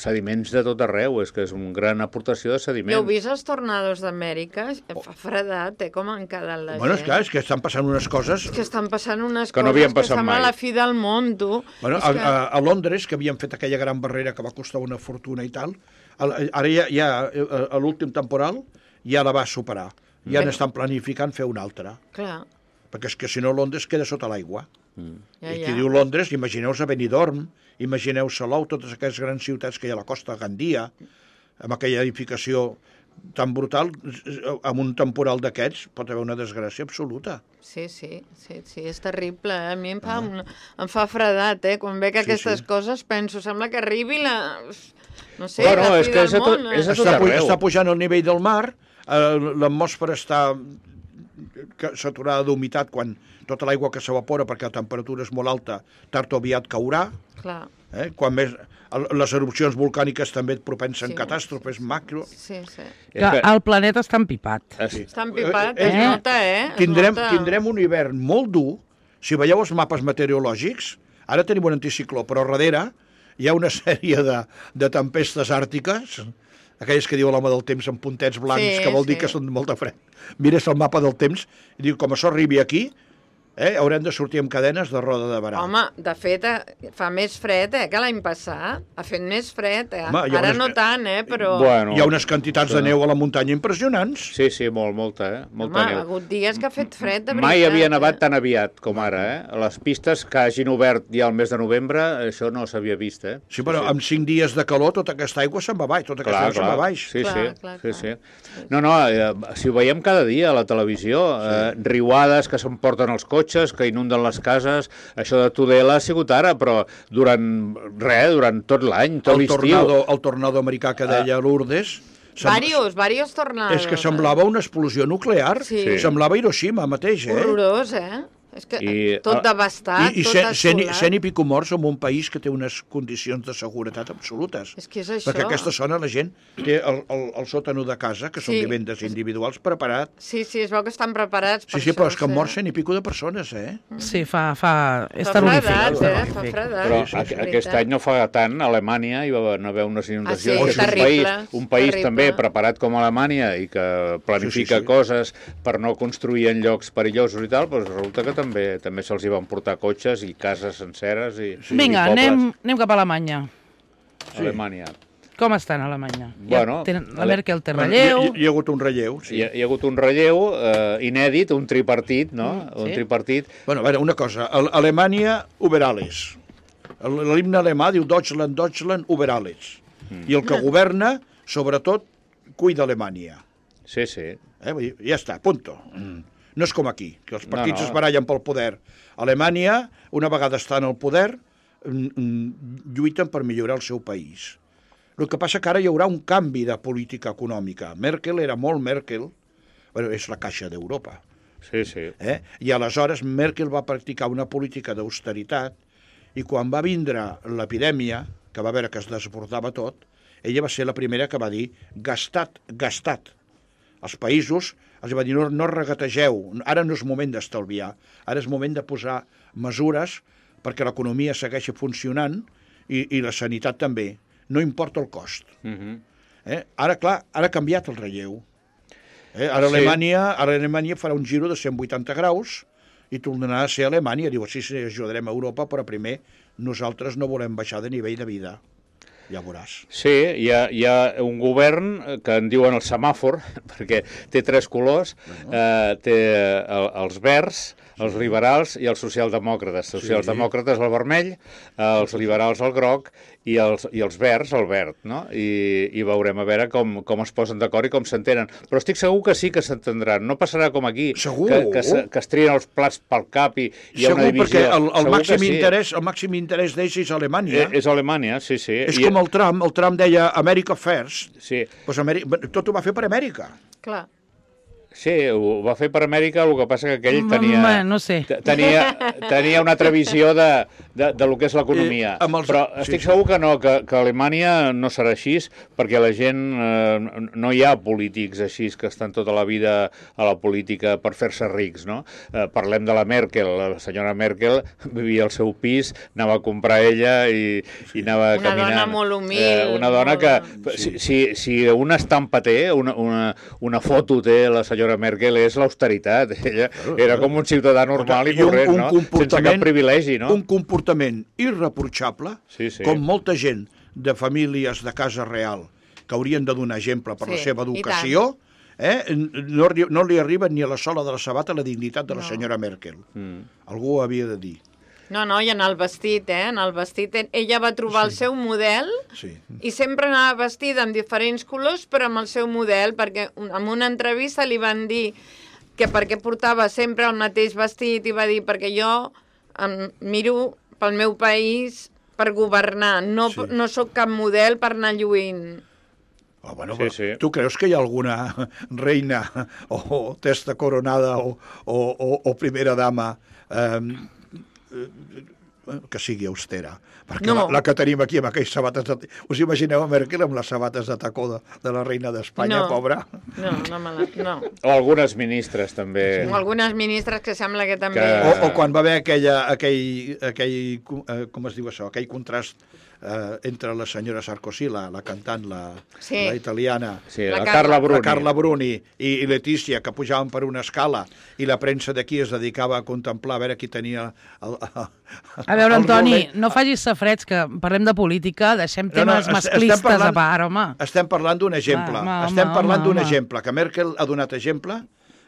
sediments de tot arreu, és que és una gran aportació de sediments. I heu vist els tornados d'Amèrica? Fa fredat, eh? Com han quedat la Bueno, gent. és clar, és que estan passant unes coses... És que estan passant unes Que no coses havien que passat sembla mai. la fi del món, tu. Bueno, És a, que... a, a Londres, que havien fet aquella gran barrera que va costar una fortuna i tal, a, ara ja, ja a, a l'últim temporal ja la va superar. Ja Mm. n'estan planificant fer una altra. Clar, Perquè és que si no Londres queda sota l'aigua. ja, I ja. qui diu Londres, imagineu-vos a Benidorm, imagineu Salou, totes aquestes grans ciutats que hi ha a la costa, Gandia, amb aquella edificació tan brutal, amb un temporal d'aquests pot haver una desgràcia absoluta. Sí, sí, sí, sí, és terrible. Eh? A mi em fa, un, em fa fredat, eh? Quan veig Sí, aquestes sí. coses penso, sembla que arribi la... No sé, Bueno, la és fi que del és a tot- món. és a eh? tot Està, pu arreu. està pujant el nivell del mar, eh, l'atmosfera està que- saturada d'humitat quan tota l'aigua que s'evapora perquè la temperatura és molt alta, tard o aviat caurà. Clar, Eh? Quan més, el- les erupcions volcàniques també et propensen Sí. catàstrofes macro. sí, sí. És Que que- el planeta està empipat. Ah, sí. Està empipat, Eh, es eh, nota, eh? Es Tindrem, nota. tindrem un hivern molt dur. Si veieu els mapes meteorològics, ara tenim un anticicló, però darrere hi ha una sèrie de, de tempestes àrtiques, aquelles que diu l'home del temps amb puntets blancs, Sí, que vol dir sí. que són molt de fred. Mires el mapa del temps i diu, com això arribi aquí, eh, haurem de sortir amb cadenes de Roda de Barà. Home, de fet, eh, fa més fred, eh, que l'any passat. Ha fet més fred, eh? Home, hi ha Ara unes- no tant, eh, però... Bueno, Hi ha unes quantitats de neu a la muntanya impressionants. Sí, sí, molt, molta, eh? Home, Molta ha neu. hagut dies que ha fet fred, de veritat. Mai havia nevat eh? tan aviat com ara, eh? Les pistes que hagin obert ja al mes de novembre, això no s'havia vist, eh? Sí, però amb cinc dies de calor tota aquesta aigua se'n va baix, tota aquesta Clar, aigua se'n va clar. baix. Sí, Clar, sí, clar, sí, clar. sí. No, no, eh, si ho veiem cada dia a la televisió, eh, riuades que s'emporten els cotxes, cotxes, que inunden les cases. Això de Tudela ha sigut ara, però durant res, durant tot l'any, tot l'estiu. El tornado americà que deia Lourdes... Varios, varios tornados. És que semblava una explosió nuclear. Sí. Semblava Hiroshima mateix, eh? Horrorós, eh? És que I, tot devastat, i, i tot assolat. cent i pico morts en un país que té unes condicions de seguretat absolutes. És que és això. Perquè a aquesta zona la gent té el, el, el sòtano de casa, que són Sí. vivendes individuals, preparat. Sí, sí, es veu que estan preparats per Sí, sí, però és això, que han mort cent i pico de persones, eh? Sí, fa... fa... És Fa terrorífic. fredat, és eh? Fa terrorífic. fredat. Però Sí, a, sí, aquest veritat. any no fa tant, a Alemanya hi va haver unes inundacions. Ah, sí? És un Terrible, país, un país terrible. també preparat com Alemanya i que planifica Sí, sí, sí. coses per no construir en llocs perillosos i tal, doncs resulta que també també se'ls hi van portar cotxes i cases senceres i, Vinga, i pobles. anem, anem cap a Alemanya. A Alemanya. Com estan a Alemanya? Bueno, ja tenen, la Ale- Merkel té Bueno, relleu... hi, hi ha hagut un relleu, sí. Hi, ha, hi ha hagut un relleu eh, inèdit, un tripartit, no? Mm, Un sí. tripartit. Bueno, a veure, una cosa. A Alemanya, über alles. L'himne alemà diu Deutschland, Deutschland, über alles. Mm. I el que governa, sobretot, cuida Alemanya. Sí, sí. Eh? Vull dir, ja està, punto. Mm. No és com aquí, que els partits No, no. es barallen pel poder. Alemanya, una vegada estan al poder, mm, mm, lluiten per millorar el seu país. El que passa que ara hi haurà un canvi de política econòmica. Merkel era molt Merkel, bueno, és la caixa d'Europa. Sí, sí. Eh? I aleshores Merkel va practicar una política d'austeritat i quan va vindre l'epidèmia, que va veure que es desbordava tot, ella va ser la primera que va dir gastat, gastat. Els països els va dir no, no regategeu, ara no és moment d'estalviar, ara és moment de posar mesures perquè l'economia segueixi funcionant i, i la sanitat també. No importa el cost. Uh -huh. Eh? Ara, clar, ara ha canviat el relleu. Eh? Ara, Sí. Alemanya, ara Alemanya farà un giro de cent vuitanta graus i tornarà a ser Alemanya. Diu, sí, sí, ajudarem a Europa, però primer nosaltres no volem baixar de nivell de vida. Ja veuràs. Sí, hi ha, hi ha un govern que en diuen el semàfor, perquè té tres colors, eh, té el, els verds, els liberals i els socialdemòcrates. Els socialdemòcrates el vermell, els liberals el groc i els, i els verds el verd, no? I, i veurem a veure com, com es posen d'acord i com s'entenen. Però estic segur que sí que s'entendran. No passarà com aquí, Segur. que, que, se, que es trien els plats pel cap i hi ha Segur, una divisió. perquè el, el, Segur màxim que sí. interès, el màxim interès d'ells és Alemanya. Eh, És Alemanya, sí, sí. és I- com el Trump. El Trump deia America First. Sí. Pues Amèrica, tot ho va fer per Amèrica. Clar. Sí, ho va fer per Amèrica, el que passa que aquell Mm, tenia, mm, no sé. te- tenia, tenia una altra visió de, de, de lo que és l'economia. Eh, amb els- Però sí, estic sí. segur que no, que, que a Alemanya no serà així, perquè la gent, eh, no hi ha polítics així que estan tota la vida a la política per fer-se rics, no? Eh, parlem de la Merkel, la senyora Merkel vivia al seu pis, anava a comprar ella i, i anava Una caminant. dona molt humil, Eh, una dona molt- que, si, si, si una estampa té, una, una, una foto té la senyora Merkel, és l'austeritat. Ella era com un ciutadà normal i I un- corrent, un no? Sense comportament- cap privilegi, no? Un comportament irreprotxable, Sí, sí. com molta gent de famílies de casa real que haurien de donar exemple per Sí, la seva i educació, eh? no, arri- no li arriba ni a la sola de la sabata la dignitat de la No. senyora Merkel. Mm. Algú ho havia de dir. No, no, i en el vestit, eh? En el vestit, ella va trobar el seu model Sí. i sempre anava vestida amb diferents colors, però amb el seu model, perquè en una entrevista li van dir que perquè portava sempre el mateix vestit i va dir perquè jo em miro pel meu país per governar, no, Sí. no sóc cap model per anar lluint. Oh, bueno, Sí, però sí. Tu creus que hi ha alguna reina o testa coronada o, o, o, o primera dama eh, que sigui austera? Perquè No. la, la que tenim aquí amb aquelles sabates... De... Us imagineu a Merkel amb les sabates de tacó de, de la reina d'Espanya, No. pobra? No, no, me la, no. O algunes ministres, també. O algunes ministres que sembla que també... Que- O, o quan va haver aquella, aquell, aquell, eh, com es diu això, aquell contrast eh, entre la senyora Sarkozy, la, la cantant, la, Sí. la italiana, Sí, La la, Carla. Carla Bruni. la Carla Bruni i, i Letícia, que pujaven per una escala i la premsa d'aquí es dedicava a contemplar a veure qui tenia el, el, A veure, el Antoni, rolet. no facis safrets, que parlem de política, deixem No, no, temes est- masclistes estem parlant- a part, home. Estem parlant d'un exemple. Home, home, estem parlant home, d'un home. exemple, que Merkel ha donat exemple,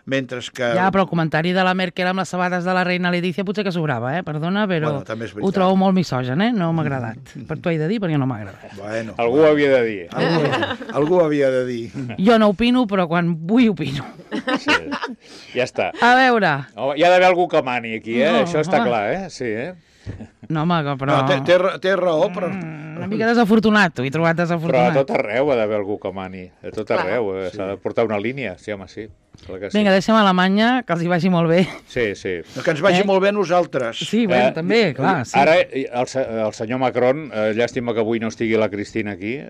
mentre que... Ja, però el comentari de la Merkel amb les sabates de la reina Letícia potser que sobrava, eh? Perdona, però Bueno, també és veritat. ho trobo molt misogen, eh? No m'ha agradat. Per t'ho he de dir, perquè no m'ha agradat. Bueno, Algú ho havia de dir. algú, algú havia de dir. Jo no opino, però quan vull opino. Sí. Ja està. A veure... Oh, hi ha d'haver algú que mani aquí, eh? No, Això està home. clar, eh? Sí, eh? No, home, però... No, té, té, té raó, però... Una mica desafortunat, ho he trobat Però a desafortunat. tot arreu ha d'haver algú que mani. A tot arreu. Eh? S'ha de portar una línia. Sí, home, sí. Clar que sí. Vinga, deixem a Alemanya, que els hi vagi molt bé. Sí, sí. Que ens vagi Eh? molt bé a nosaltres. Sí, bueno, Eh, també, clar. Sí. Ara, el, se- el senyor Macron, eh, llàstima que avui no estigui la Cristina aquí, eh,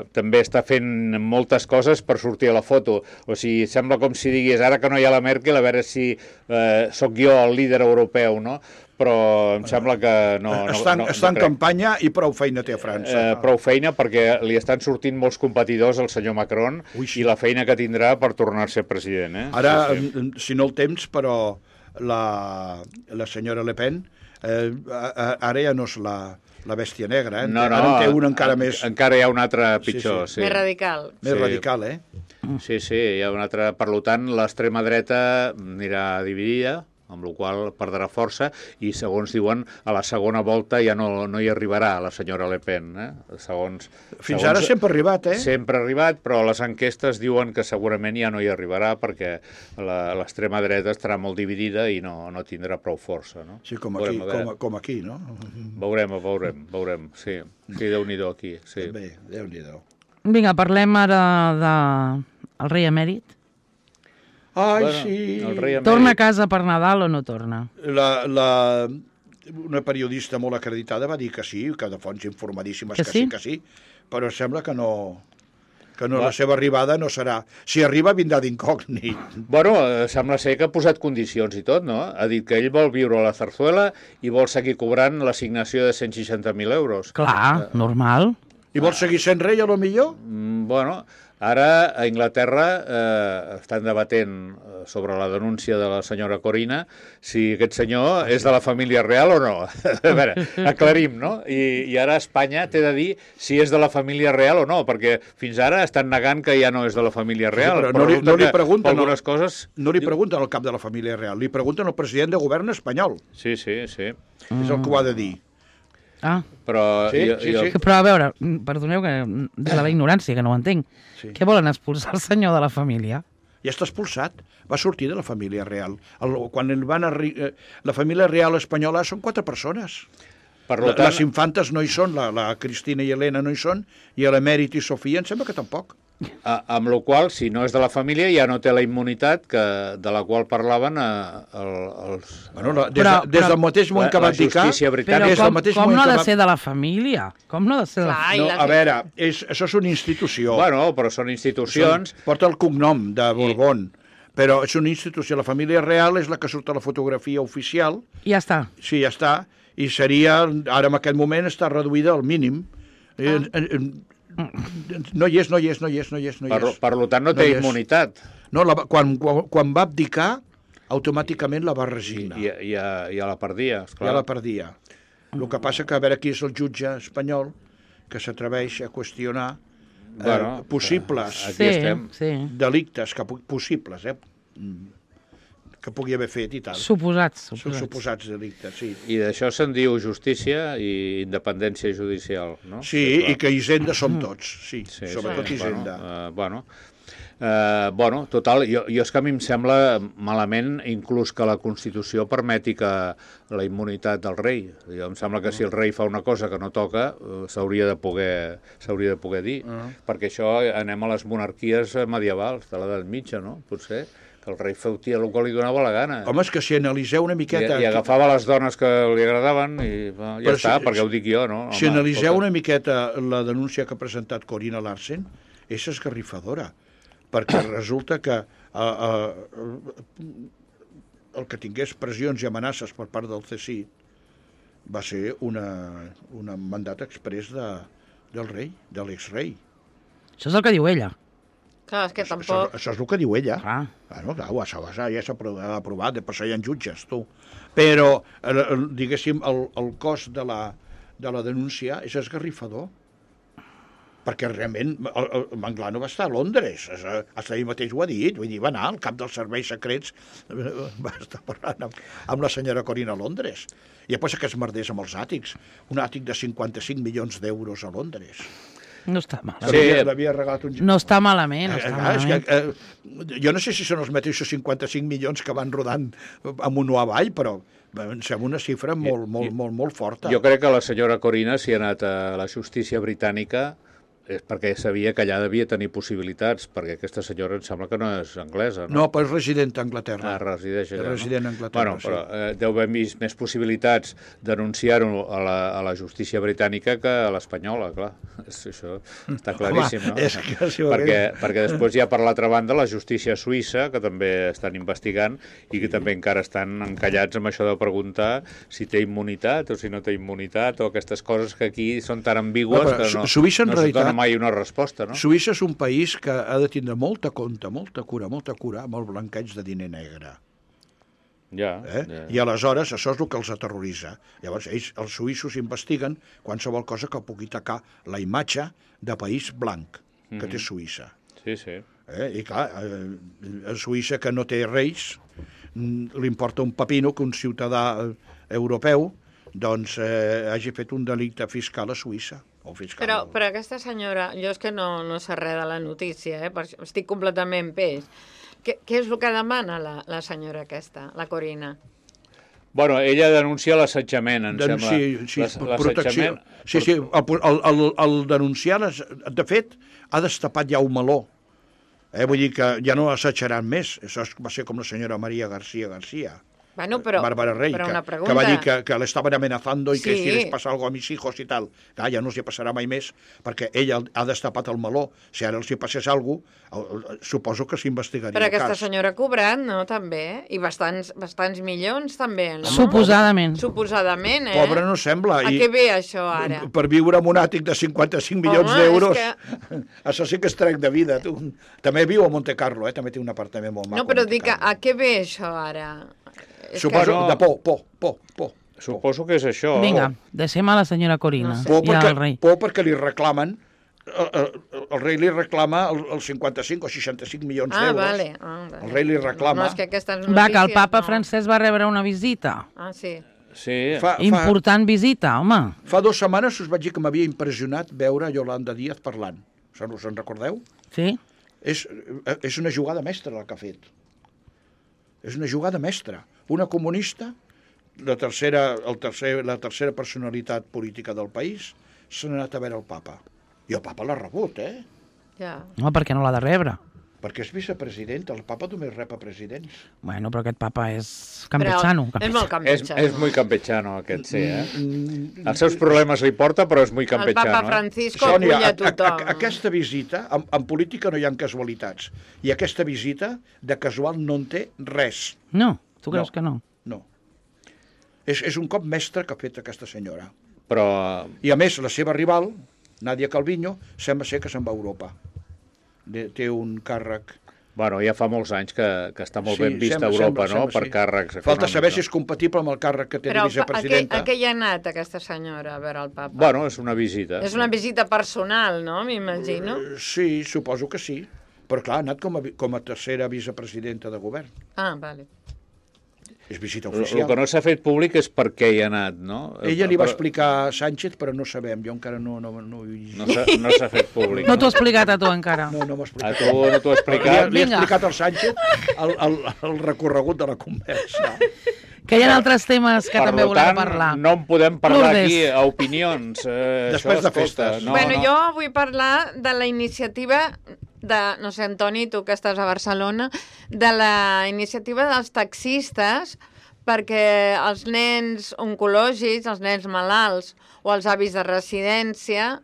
Mm. també està fent moltes coses per sortir a la foto. O sigui, sembla com si digués, ara que no hi ha la Merkel, a veure si eh, sóc jo el líder europeu, no? Però em sembla que no... no està no, està no en crec. campanya i prou feina té a França. Eh, prou feina perquè li estan sortint molts competidors al senyor Macron Ui, sí. i la feina que tindrà per tornar a ser president. Eh? Ara, Sí, sí. mm, si no el temps, però la, la senyora Le Pen eh, a- a- ara ja no és la, la bèstia negra, eh? No, no, ara en té una encara en, més, encara hi ha una altra Sí, pitjor. sí. Sí, Més radical. més sí. radical, eh? Sí, sí, hi ha una altra... Per tant, l'extrema dreta anirà dividida, amb la qual cosa perdrà força, i segons diuen, a la segona volta ja no, no hi arribarà la senyora Le Pen. Eh? Segons, Fins segons, ara sempre ha arribat, eh? Sempre ha arribat, però les enquestes diuen que segurament ja no hi arribarà perquè la- l'extrema dreta estarà molt dividida i no, no tindrà prou força. No? Sí, com aquí, Veurem, a veure. com, com aquí, no? Veurem, veurem, veurem, sí. Sí, Déu-n'hi-do aquí, sí. Bé, Déu-n'hi-do. Vinga, parlem ara de el rei emèrit. Ai, Bueno, sí. el rei emèrit. Torna a casa per Nadal o no torna? La, la, una periodista molt acreditada va dir que sí, que de fonts informadíssimes Que que, sí? sí, que sí, però sembla que no, que no Va. la seva arribada no serà... Si arriba, vindrà d'incògnit. Bueno, eh, sembla ser que ha posat condicions i tot, no? Ha dit que ell vol viure a la Zarzuela i vol seguir cobrant l'assignació de cent seixanta mil euros. Clar, normal. I vol seguir sent rei, a lo millor? Mm, bueno, ara a Inglaterra eh, estan debatent eh, sobre la denúncia de la senyora Corina si aquest senyor és de la família real o no. A veure, aclarim, no? I, I ara Espanya té de dir si és de la família real o no, perquè fins ara estan negant que ja no és de la família real. però no li- resulta no li que pregunten, no. algunes coses... No li pregunten al cap de la família real, li pregunten al president de govern espanyol. Sí, sí, sí. Mm. És el que ho ha de dir. Ah, Però... Sí, jo, sí, jo, sí. però a veure, perdoneu que de la ignorància, que no ho entenc. Sí. Què volen expulsar el senyor de la família? Ja està expulsat. Va sortir de la família real. El, quan el van arri... eh, La família real espanyola són quatre persones. per La, tant, les infantes no hi són, la, la Cristina i Helena no hi són, i l'Emèrit i Sofia em sembla que tampoc. a, amb la qual, si no és de la família, ja no té la immunitat que, de la qual parlaven eh, el, els... Bueno, la, des, Però- de, des però- del mateix moment La- que la va abdicar... justícia britànica. Però des del com, mateix com moment no ha que de va- ser de la família? Com no ha de ser de la Clar, i No, les- a veure, és, això és una institució. Bueno, però són institucions... Són- Porta el cognom de Borbón, però és una institució. La família real és la que surt a la fotografia oficial. I ja està. Sí, ja està. I seria, ara en aquest moment, està reduïda al mínim. Ah. No hi és, no hi és, no hi és, no hi és. No hi Per, és. per tant, no No té hi és. immunitat. No, la, va- quan, quan, quan va abdicar, automàticament la va I, resignar. i, i, a, i a la perdia, esclar. Ja la perdia. El que passa que a veure qui és el jutge espanyol que s'atreveix a qüestionar eh, Bueno, possibles Aquí sí, estem. sí. delictes, que, pu- possibles, eh? Mm, que pugui haver fet i tal. Suposats, Són suposats. suposats delictes, sí. I d'això se'n diu justícia i independència judicial, no? Sí, clar. i que Hisenda som tots, sí, Sí, sobretot sí. Hisenda. Bueno, uh, bueno, uh, bueno, total, jo, jo és que a mi em sembla malament inclús que la Constitució permeti que la immunitat del rei. Jo em sembla que si el rei fa una cosa que no toca, uh, s'hauria de poder s'hauria de poder dir, uh -huh. perquè això anem a les monarquies medievals de l'edat mitja, no? Potser que el rei feutia el que li donava la gana. Home, és que si analiseu una I, miqueta... I agafava les dones que li agradaven i va, ja Però està, si- perquè ho dic jo, no? Si Home, analiseu escolta. una miqueta la denúncia que ha presentat Corina Larsen, és esgarrifadora, perquè resulta que uh, uh, el que tingués pressions i amenaces per part del C S I va ser una, un mandat exprés de, del rei, de l'exrei. Això és el que diu ella. Clar, és que Això, tampoc... això és el que diu ella. Clar. Bueno, clar, ho s'ha ja s'ha aprovat, de passar hi ha jutges, tu. Però, el, el, diguéssim, el, el cost de la, de la denúncia és esgarrifador. Perquè realment el, el Manglano va estar a Londres, fins ahir mateix ho ha dit, vull dir, va anar al cap dels serveis secrets, va estar parlant amb, amb la senyora Corina a Londres. I després que es merdés amb els àtics, un àtic de cinquanta-cinc milions d'euros a Londres. No està malament. Sí, havia, l'havia regalat un... No està malament, no està eh, malament. És que, eh, jo no sé si són els mateixos cinquanta-cinc milions que van rodant amunt o avall, però em sembla una xifra molt, molt, molt, molt forta. Jo crec que la senyora Corina, si ha anat a la justícia britànica, és perquè sabia que allà devia tenir possibilitats, perquè aquesta senyora em sembla que no és anglesa, no? No, però és resident a Anglaterra. Ah, resideix allà, és resident a Anglaterra, bueno, però eh, deu haver vist més possibilitats denunciar-ho a, la, a la justícia britànica que a l'espanyola, clar. És, això està claríssim, Home, no? És que, si perquè, perquè després hi ha, per l'altra banda, la justícia suïssa, que també estan investigant i que també encara estan encallats amb això de preguntar si té immunitat o si no té immunitat, o aquestes coses que aquí són tan ambigües no, que no, Suïssa, en no realitat, es dona mai una resposta, no? Suïssa és un país que ha de tindre molta compte, molta cura, molta cura amb el blanqueig de diner negre. Ja, eh? ja. I aleshores això és el que els aterroritza. Llavors, ells, els suïssos investiguen qualsevol cosa que pugui tacar la imatge de país blanc que mm-hmm. té Suïssa. Sí, sí. Eh? I clar, eh, a Suïssa, que no té reis, li importa un pepino que un ciutadà europeu doncs eh, hagi fet un delicte fiscal a Suïssa. O fiscal. Però, però aquesta senyora, jo és que no, no sé res de la notícia, eh? Estic completament peix. Què, què és el que demana la, la senyora aquesta, la Corina? Bueno, ella denuncia l'assetjament, em Denunci, sembla. Sí, protecció. Sí, sí, el, el, el, el denunciar, les, de fet, ha destapat ja un meló. Eh? Vull dir que ja no assetjaran més. Això va ser com la senyora Maria García García. Bueno, però, Bárbara Rey, però que, una pregunta. que va dir que, que le estaven amenazando i sí. que si les passa algo a mis hijos i tal. Clar, ja no els hi passarà mai més, perquè ella ha destapat el meló. Si ara els hi passés alguna cosa, suposo que s'investigaria però el aquesta cas. senyora ha cobrat, no?, també. I bastants, bastants milions, també, no? Suposadament. Suposadament, eh? Pobra no sembla. A I què ve això, ara? Per viure amb un àtic de cinquanta-cinc milions d'euros, que... això sí que és trec de vida. Tu. També viu a Monte Carlo, eh? També té un apartament molt maco. No, però dic, a què ve això, ara? Suposo, que... de por, por, por, por. Suposo que és això. Vinga, deixem a la senyora Corina. No sé. Por, I perquè, al rei. por perquè li reclamen, el, el, el rei li reclama els cinquanta-cinc o seixanta-cinc milions ah, d'euros. Vale. Ah, vale. El rei li reclama. No, és que aquestes notícies... Va, que el papa no. francès va rebre una visita. Ah, sí. Sí. Fa, fa, Important visita, home. fa dues setmanes us vaig dir que m'havia impressionat veure Yolanda Díaz parlant. Se'n us en recordeu? Sí? És, és una jugada mestra la que ha fet. És una jugada mestra. Una comunista, la tercera, el tercer, la tercera personalitat política del país, s'ha anat a veure el papa. I el papa l'ha rebut, eh? Ja. Home, per què no l'ha de rebre? Perquè és vicepresident, el papa només rep a presidents. Bueno, però aquest papa és campechano. Però és molt És, campechano. és muy campechano, aquest, sí, eh? Mm, Els seus problemes li porta, però és muy El campechano. papa Francisco Sònia, acull a a, a, tothom. a, aquesta visita, en, en política no hi ha casualitats, i aquesta visita de casual no en té res. No, tu creus No. que no? No. És, és un cop mestre que ha fet aquesta senyora. Però... I a més, la seva rival, Nadia Calviño, sembla ser que se'n va a Europa. De, té un càrrec... Bueno, ja fa molts anys que, que està molt Sí, ben vista sembla, a Europa, sembla, no?, sembla, per sí. càrrecs econòmics. Falta saber si no? és compatible amb el càrrec que té Però de a què, vicepresidenta. a què hi ha anat aquesta senyora a veure el papa? Bueno, és una visita. És una visita personal, no?, m'imagino. Eh, Sí, suposo que sí. Però clar, ha anat com a, vi- com a tercera vicepresidenta de govern. Ah, vale. És visita El, el oficial. que no s'ha fet públic és per què hi ha anat, no? Ella li va Però explicar a Sánchez, però no sabem. Jo encara no, no, no, No s'ha no s'ha fet públic. No t'ho ha explicat a tu encara. no, no m'ha A explicat. tu no t'ho ha Li, explicat? li he Vinga. explicat al Sánchez el, el, el recorregut de la conversa. Que hi ha altres temes que per també lo volem tant, parlar. no en podem parlar Lourdes. aquí a opinions. Eh, Després això, de festes. No, bueno, no. jo vull parlar de la iniciativa de, no sé, Antoni, tu que estàs a Barcelona, de la iniciativa dels taxistes perquè els nens oncològics, els nens malalts o els avis de residència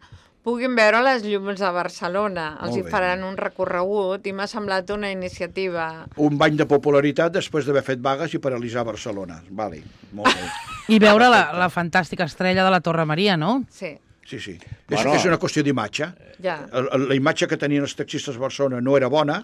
puguin veure les llums de Barcelona. Els Molt hi bé. faran un recorregut i m'ha semblat una iniciativa... Un bany de popularitat després d'haver fet vagues i paralitzar Barcelona. Vale, molt bé. I veure la, la fantàstica estrella de la Torre Maria, no? Sí, Sí, sí. Bueno. és, és una qüestió d'imatge. ja. El- el- La imatge que tenien els taxistes a Barcelona no era bona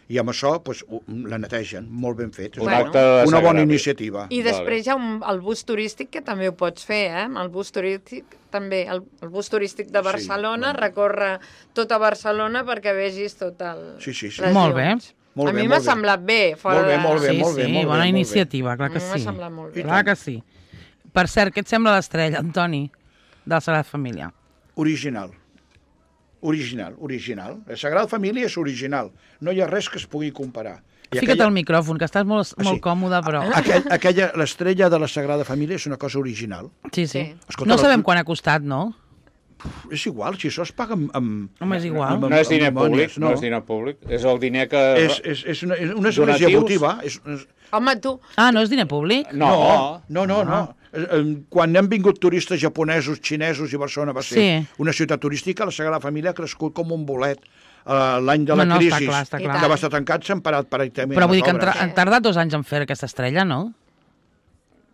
i amb això pues, ho- la netegen, molt ben fet. És Un una, acte de una bona desagradi. iniciativa. I després hi ha un, el bus turístic, que també ho pots fer, eh? El bus turístic, també, el, el bus turístic de Barcelona, bueno. recorre tota Barcelona perquè vegis tot el... Sí, sí, sí. les Molt bé. llums. Molt a bé, mi m'ha molt bé. semblat bé. Fora Molt bé, de... molt bé, sí, molt bé, sí, molt bé, bona molt bé. iniciativa, clar que A mi m'ha sí. semblat molt bé. Clar que sí. Per cert, què et sembla l'estrella, Antoni, de la Sagrada Família? Original. Original, original. La Sagrada Família és original. No hi ha res que es pugui comparar. I Fica't aquella... al micròfon, que estàs molt, molt sí. còmode, però... Aquell, aquella, l'estrella de la Sagrada Família és una cosa original. Sí, sí. Escolta, no sabem la... quan ha costat, no? És igual, si això es paga amb... amb Home, és igual. Amb, amb, no és diner públic, no. no és diner públic. És el diner que... És, és, és una, és una església votiva. És, és... Home, tu... Ah, no és diner públic? No, no, no, no. no. Quan han vingut turistes japonesos, xinesos i Barcelona va ser sí. una ciutat turística, la Sagrada Família ha crescut com un bolet. Uh, l'any de la no, no, crisi, està clar, està clar. que va estar tancat, s'han parat pràcticament. Però vull dir que han, han tardat dos anys en fer aquesta estrella, no?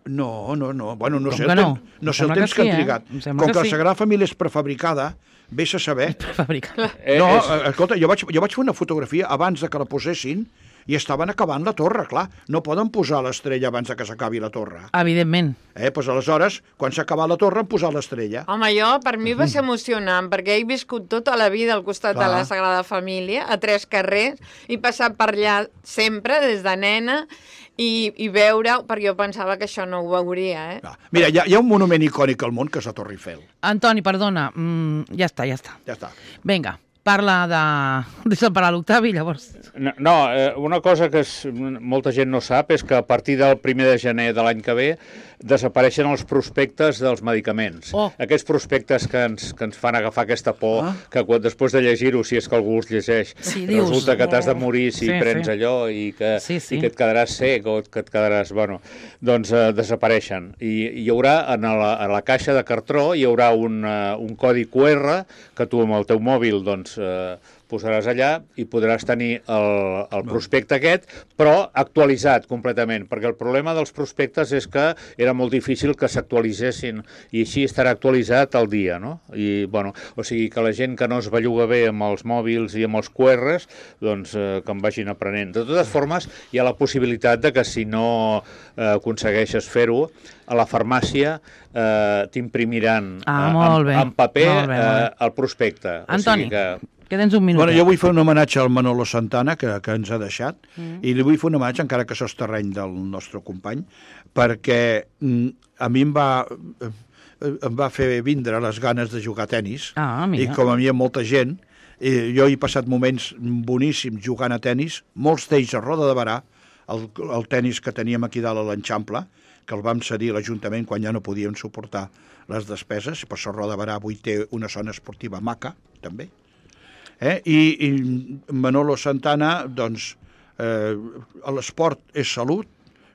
No, no, no. Bueno, no Com sé el, no? Ten, no sé el temps que, sí, que han trigat. Eh? Com que, que sí. la Sagrada Família és prefabricada, vés a saber... Prefabricada. No, escolta, jo vaig, jo vaig fer una fotografia abans de que la posessin i estaven acabant la torre, clar. No poden posar l'estrella abans que s'acabi la torre. Evidentment. Eh, doncs aleshores, quan s'ha acabat la torre, han posat l'estrella. Home, jo, per mi va ser emocionant, perquè he viscut tota la vida al costat clar. de la Sagrada Família, a tres carrers, i passat per allà sempre, des de nena, i, i veure, perquè jo pensava que això no ho veuria, eh? Ah, mira, hi ha, hi ha un monument icònic al món, que és la Torre Eiffel. Antoni, perdona, mm, ja està, ja està. Ja està. Vinga. Parla de... Deixa'm parar l'Octavi, llavors. No, no eh, una cosa que és, molta gent no sap és que a partir del primer de gener de l'any que ve desapareixen els prospectes dels medicaments. Oh. Aquests prospectes que ens, que ens fan agafar aquesta por, ah. que quan, després de llegir-ho, si és que algú els llegeix, sí, dius, resulta que t'has de morir si sí, prens sí. allò i que, sí, sí. i que et quedaràs sec o que et quedaràs... Bueno, doncs eh, desapareixen. I hi haurà, en la, a la caixa de cartró, hi haurà un, uh, un codi Q R que tu amb el teu mòbil, doncs... Eh, posaràs allà i podràs tenir el, el prospecte aquest, però actualitzat completament, perquè el problema dels prospectes és que era molt difícil que s'actualitzessin i així estarà actualitzat al dia, no? I, bueno, o sigui que la gent que no es belluga bé amb els mòbils i amb els Q Rs, doncs eh, que en vagin aprenent. De totes formes, hi ha la possibilitat de que si no eh, aconsegueixes fer-ho, a la farmàcia eh, t'imprimiran ah, eh, en, en paper molt bé, molt bé. Eh, el prospecte. Antoni, o sigui que... que tens un minut. Bueno, jo vull fer un homenatge al Manolo Santana, que, que ens ha deixat, mm. i li vull fer un homenatge, encara que això és terreny del nostre company, perquè mm, a mi em va, em va fer vindre les ganes de jugar a tennis, ah, i com a mi hi ha molta gent, i jo he passat moments boníssims jugant a tennis, molts d'ells a Roda de Barà, el, el tennis que teníem aquí dalt a l'Enxample, que el vam cedir a l'Ajuntament quan ja no podíem suportar les despeses, i per això Roda de Barà avui té una zona esportiva maca, també. Eh? I, I Manolo Santana, doncs, eh, l'esport és salut,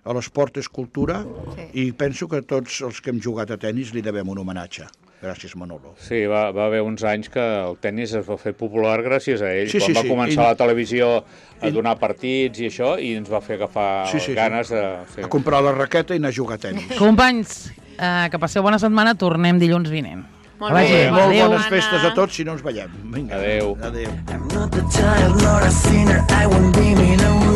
l'esport és cultura, sí. i penso que tots els que hem jugat a tennis li devem un homenatge. Gràcies, Manolo. Sí, va, va haver uns anys que el tennis es va fer popular gràcies a ell. Sí, Quan sí, va sí. començar I... la televisió a donar partits i això, i ens va fer agafar sí, sí, ganes sí. de... Sí. A comprar la raqueta i anar a jugar a tennis. Companys, eh, que passeu bona setmana, tornem dilluns vinent. Molt bé, Adéu. Molt Adéu. bones festes a tots, si no ens veiem. Vinga. Adéu. Adéu. I'm not the child, not a sinner, I won't be me no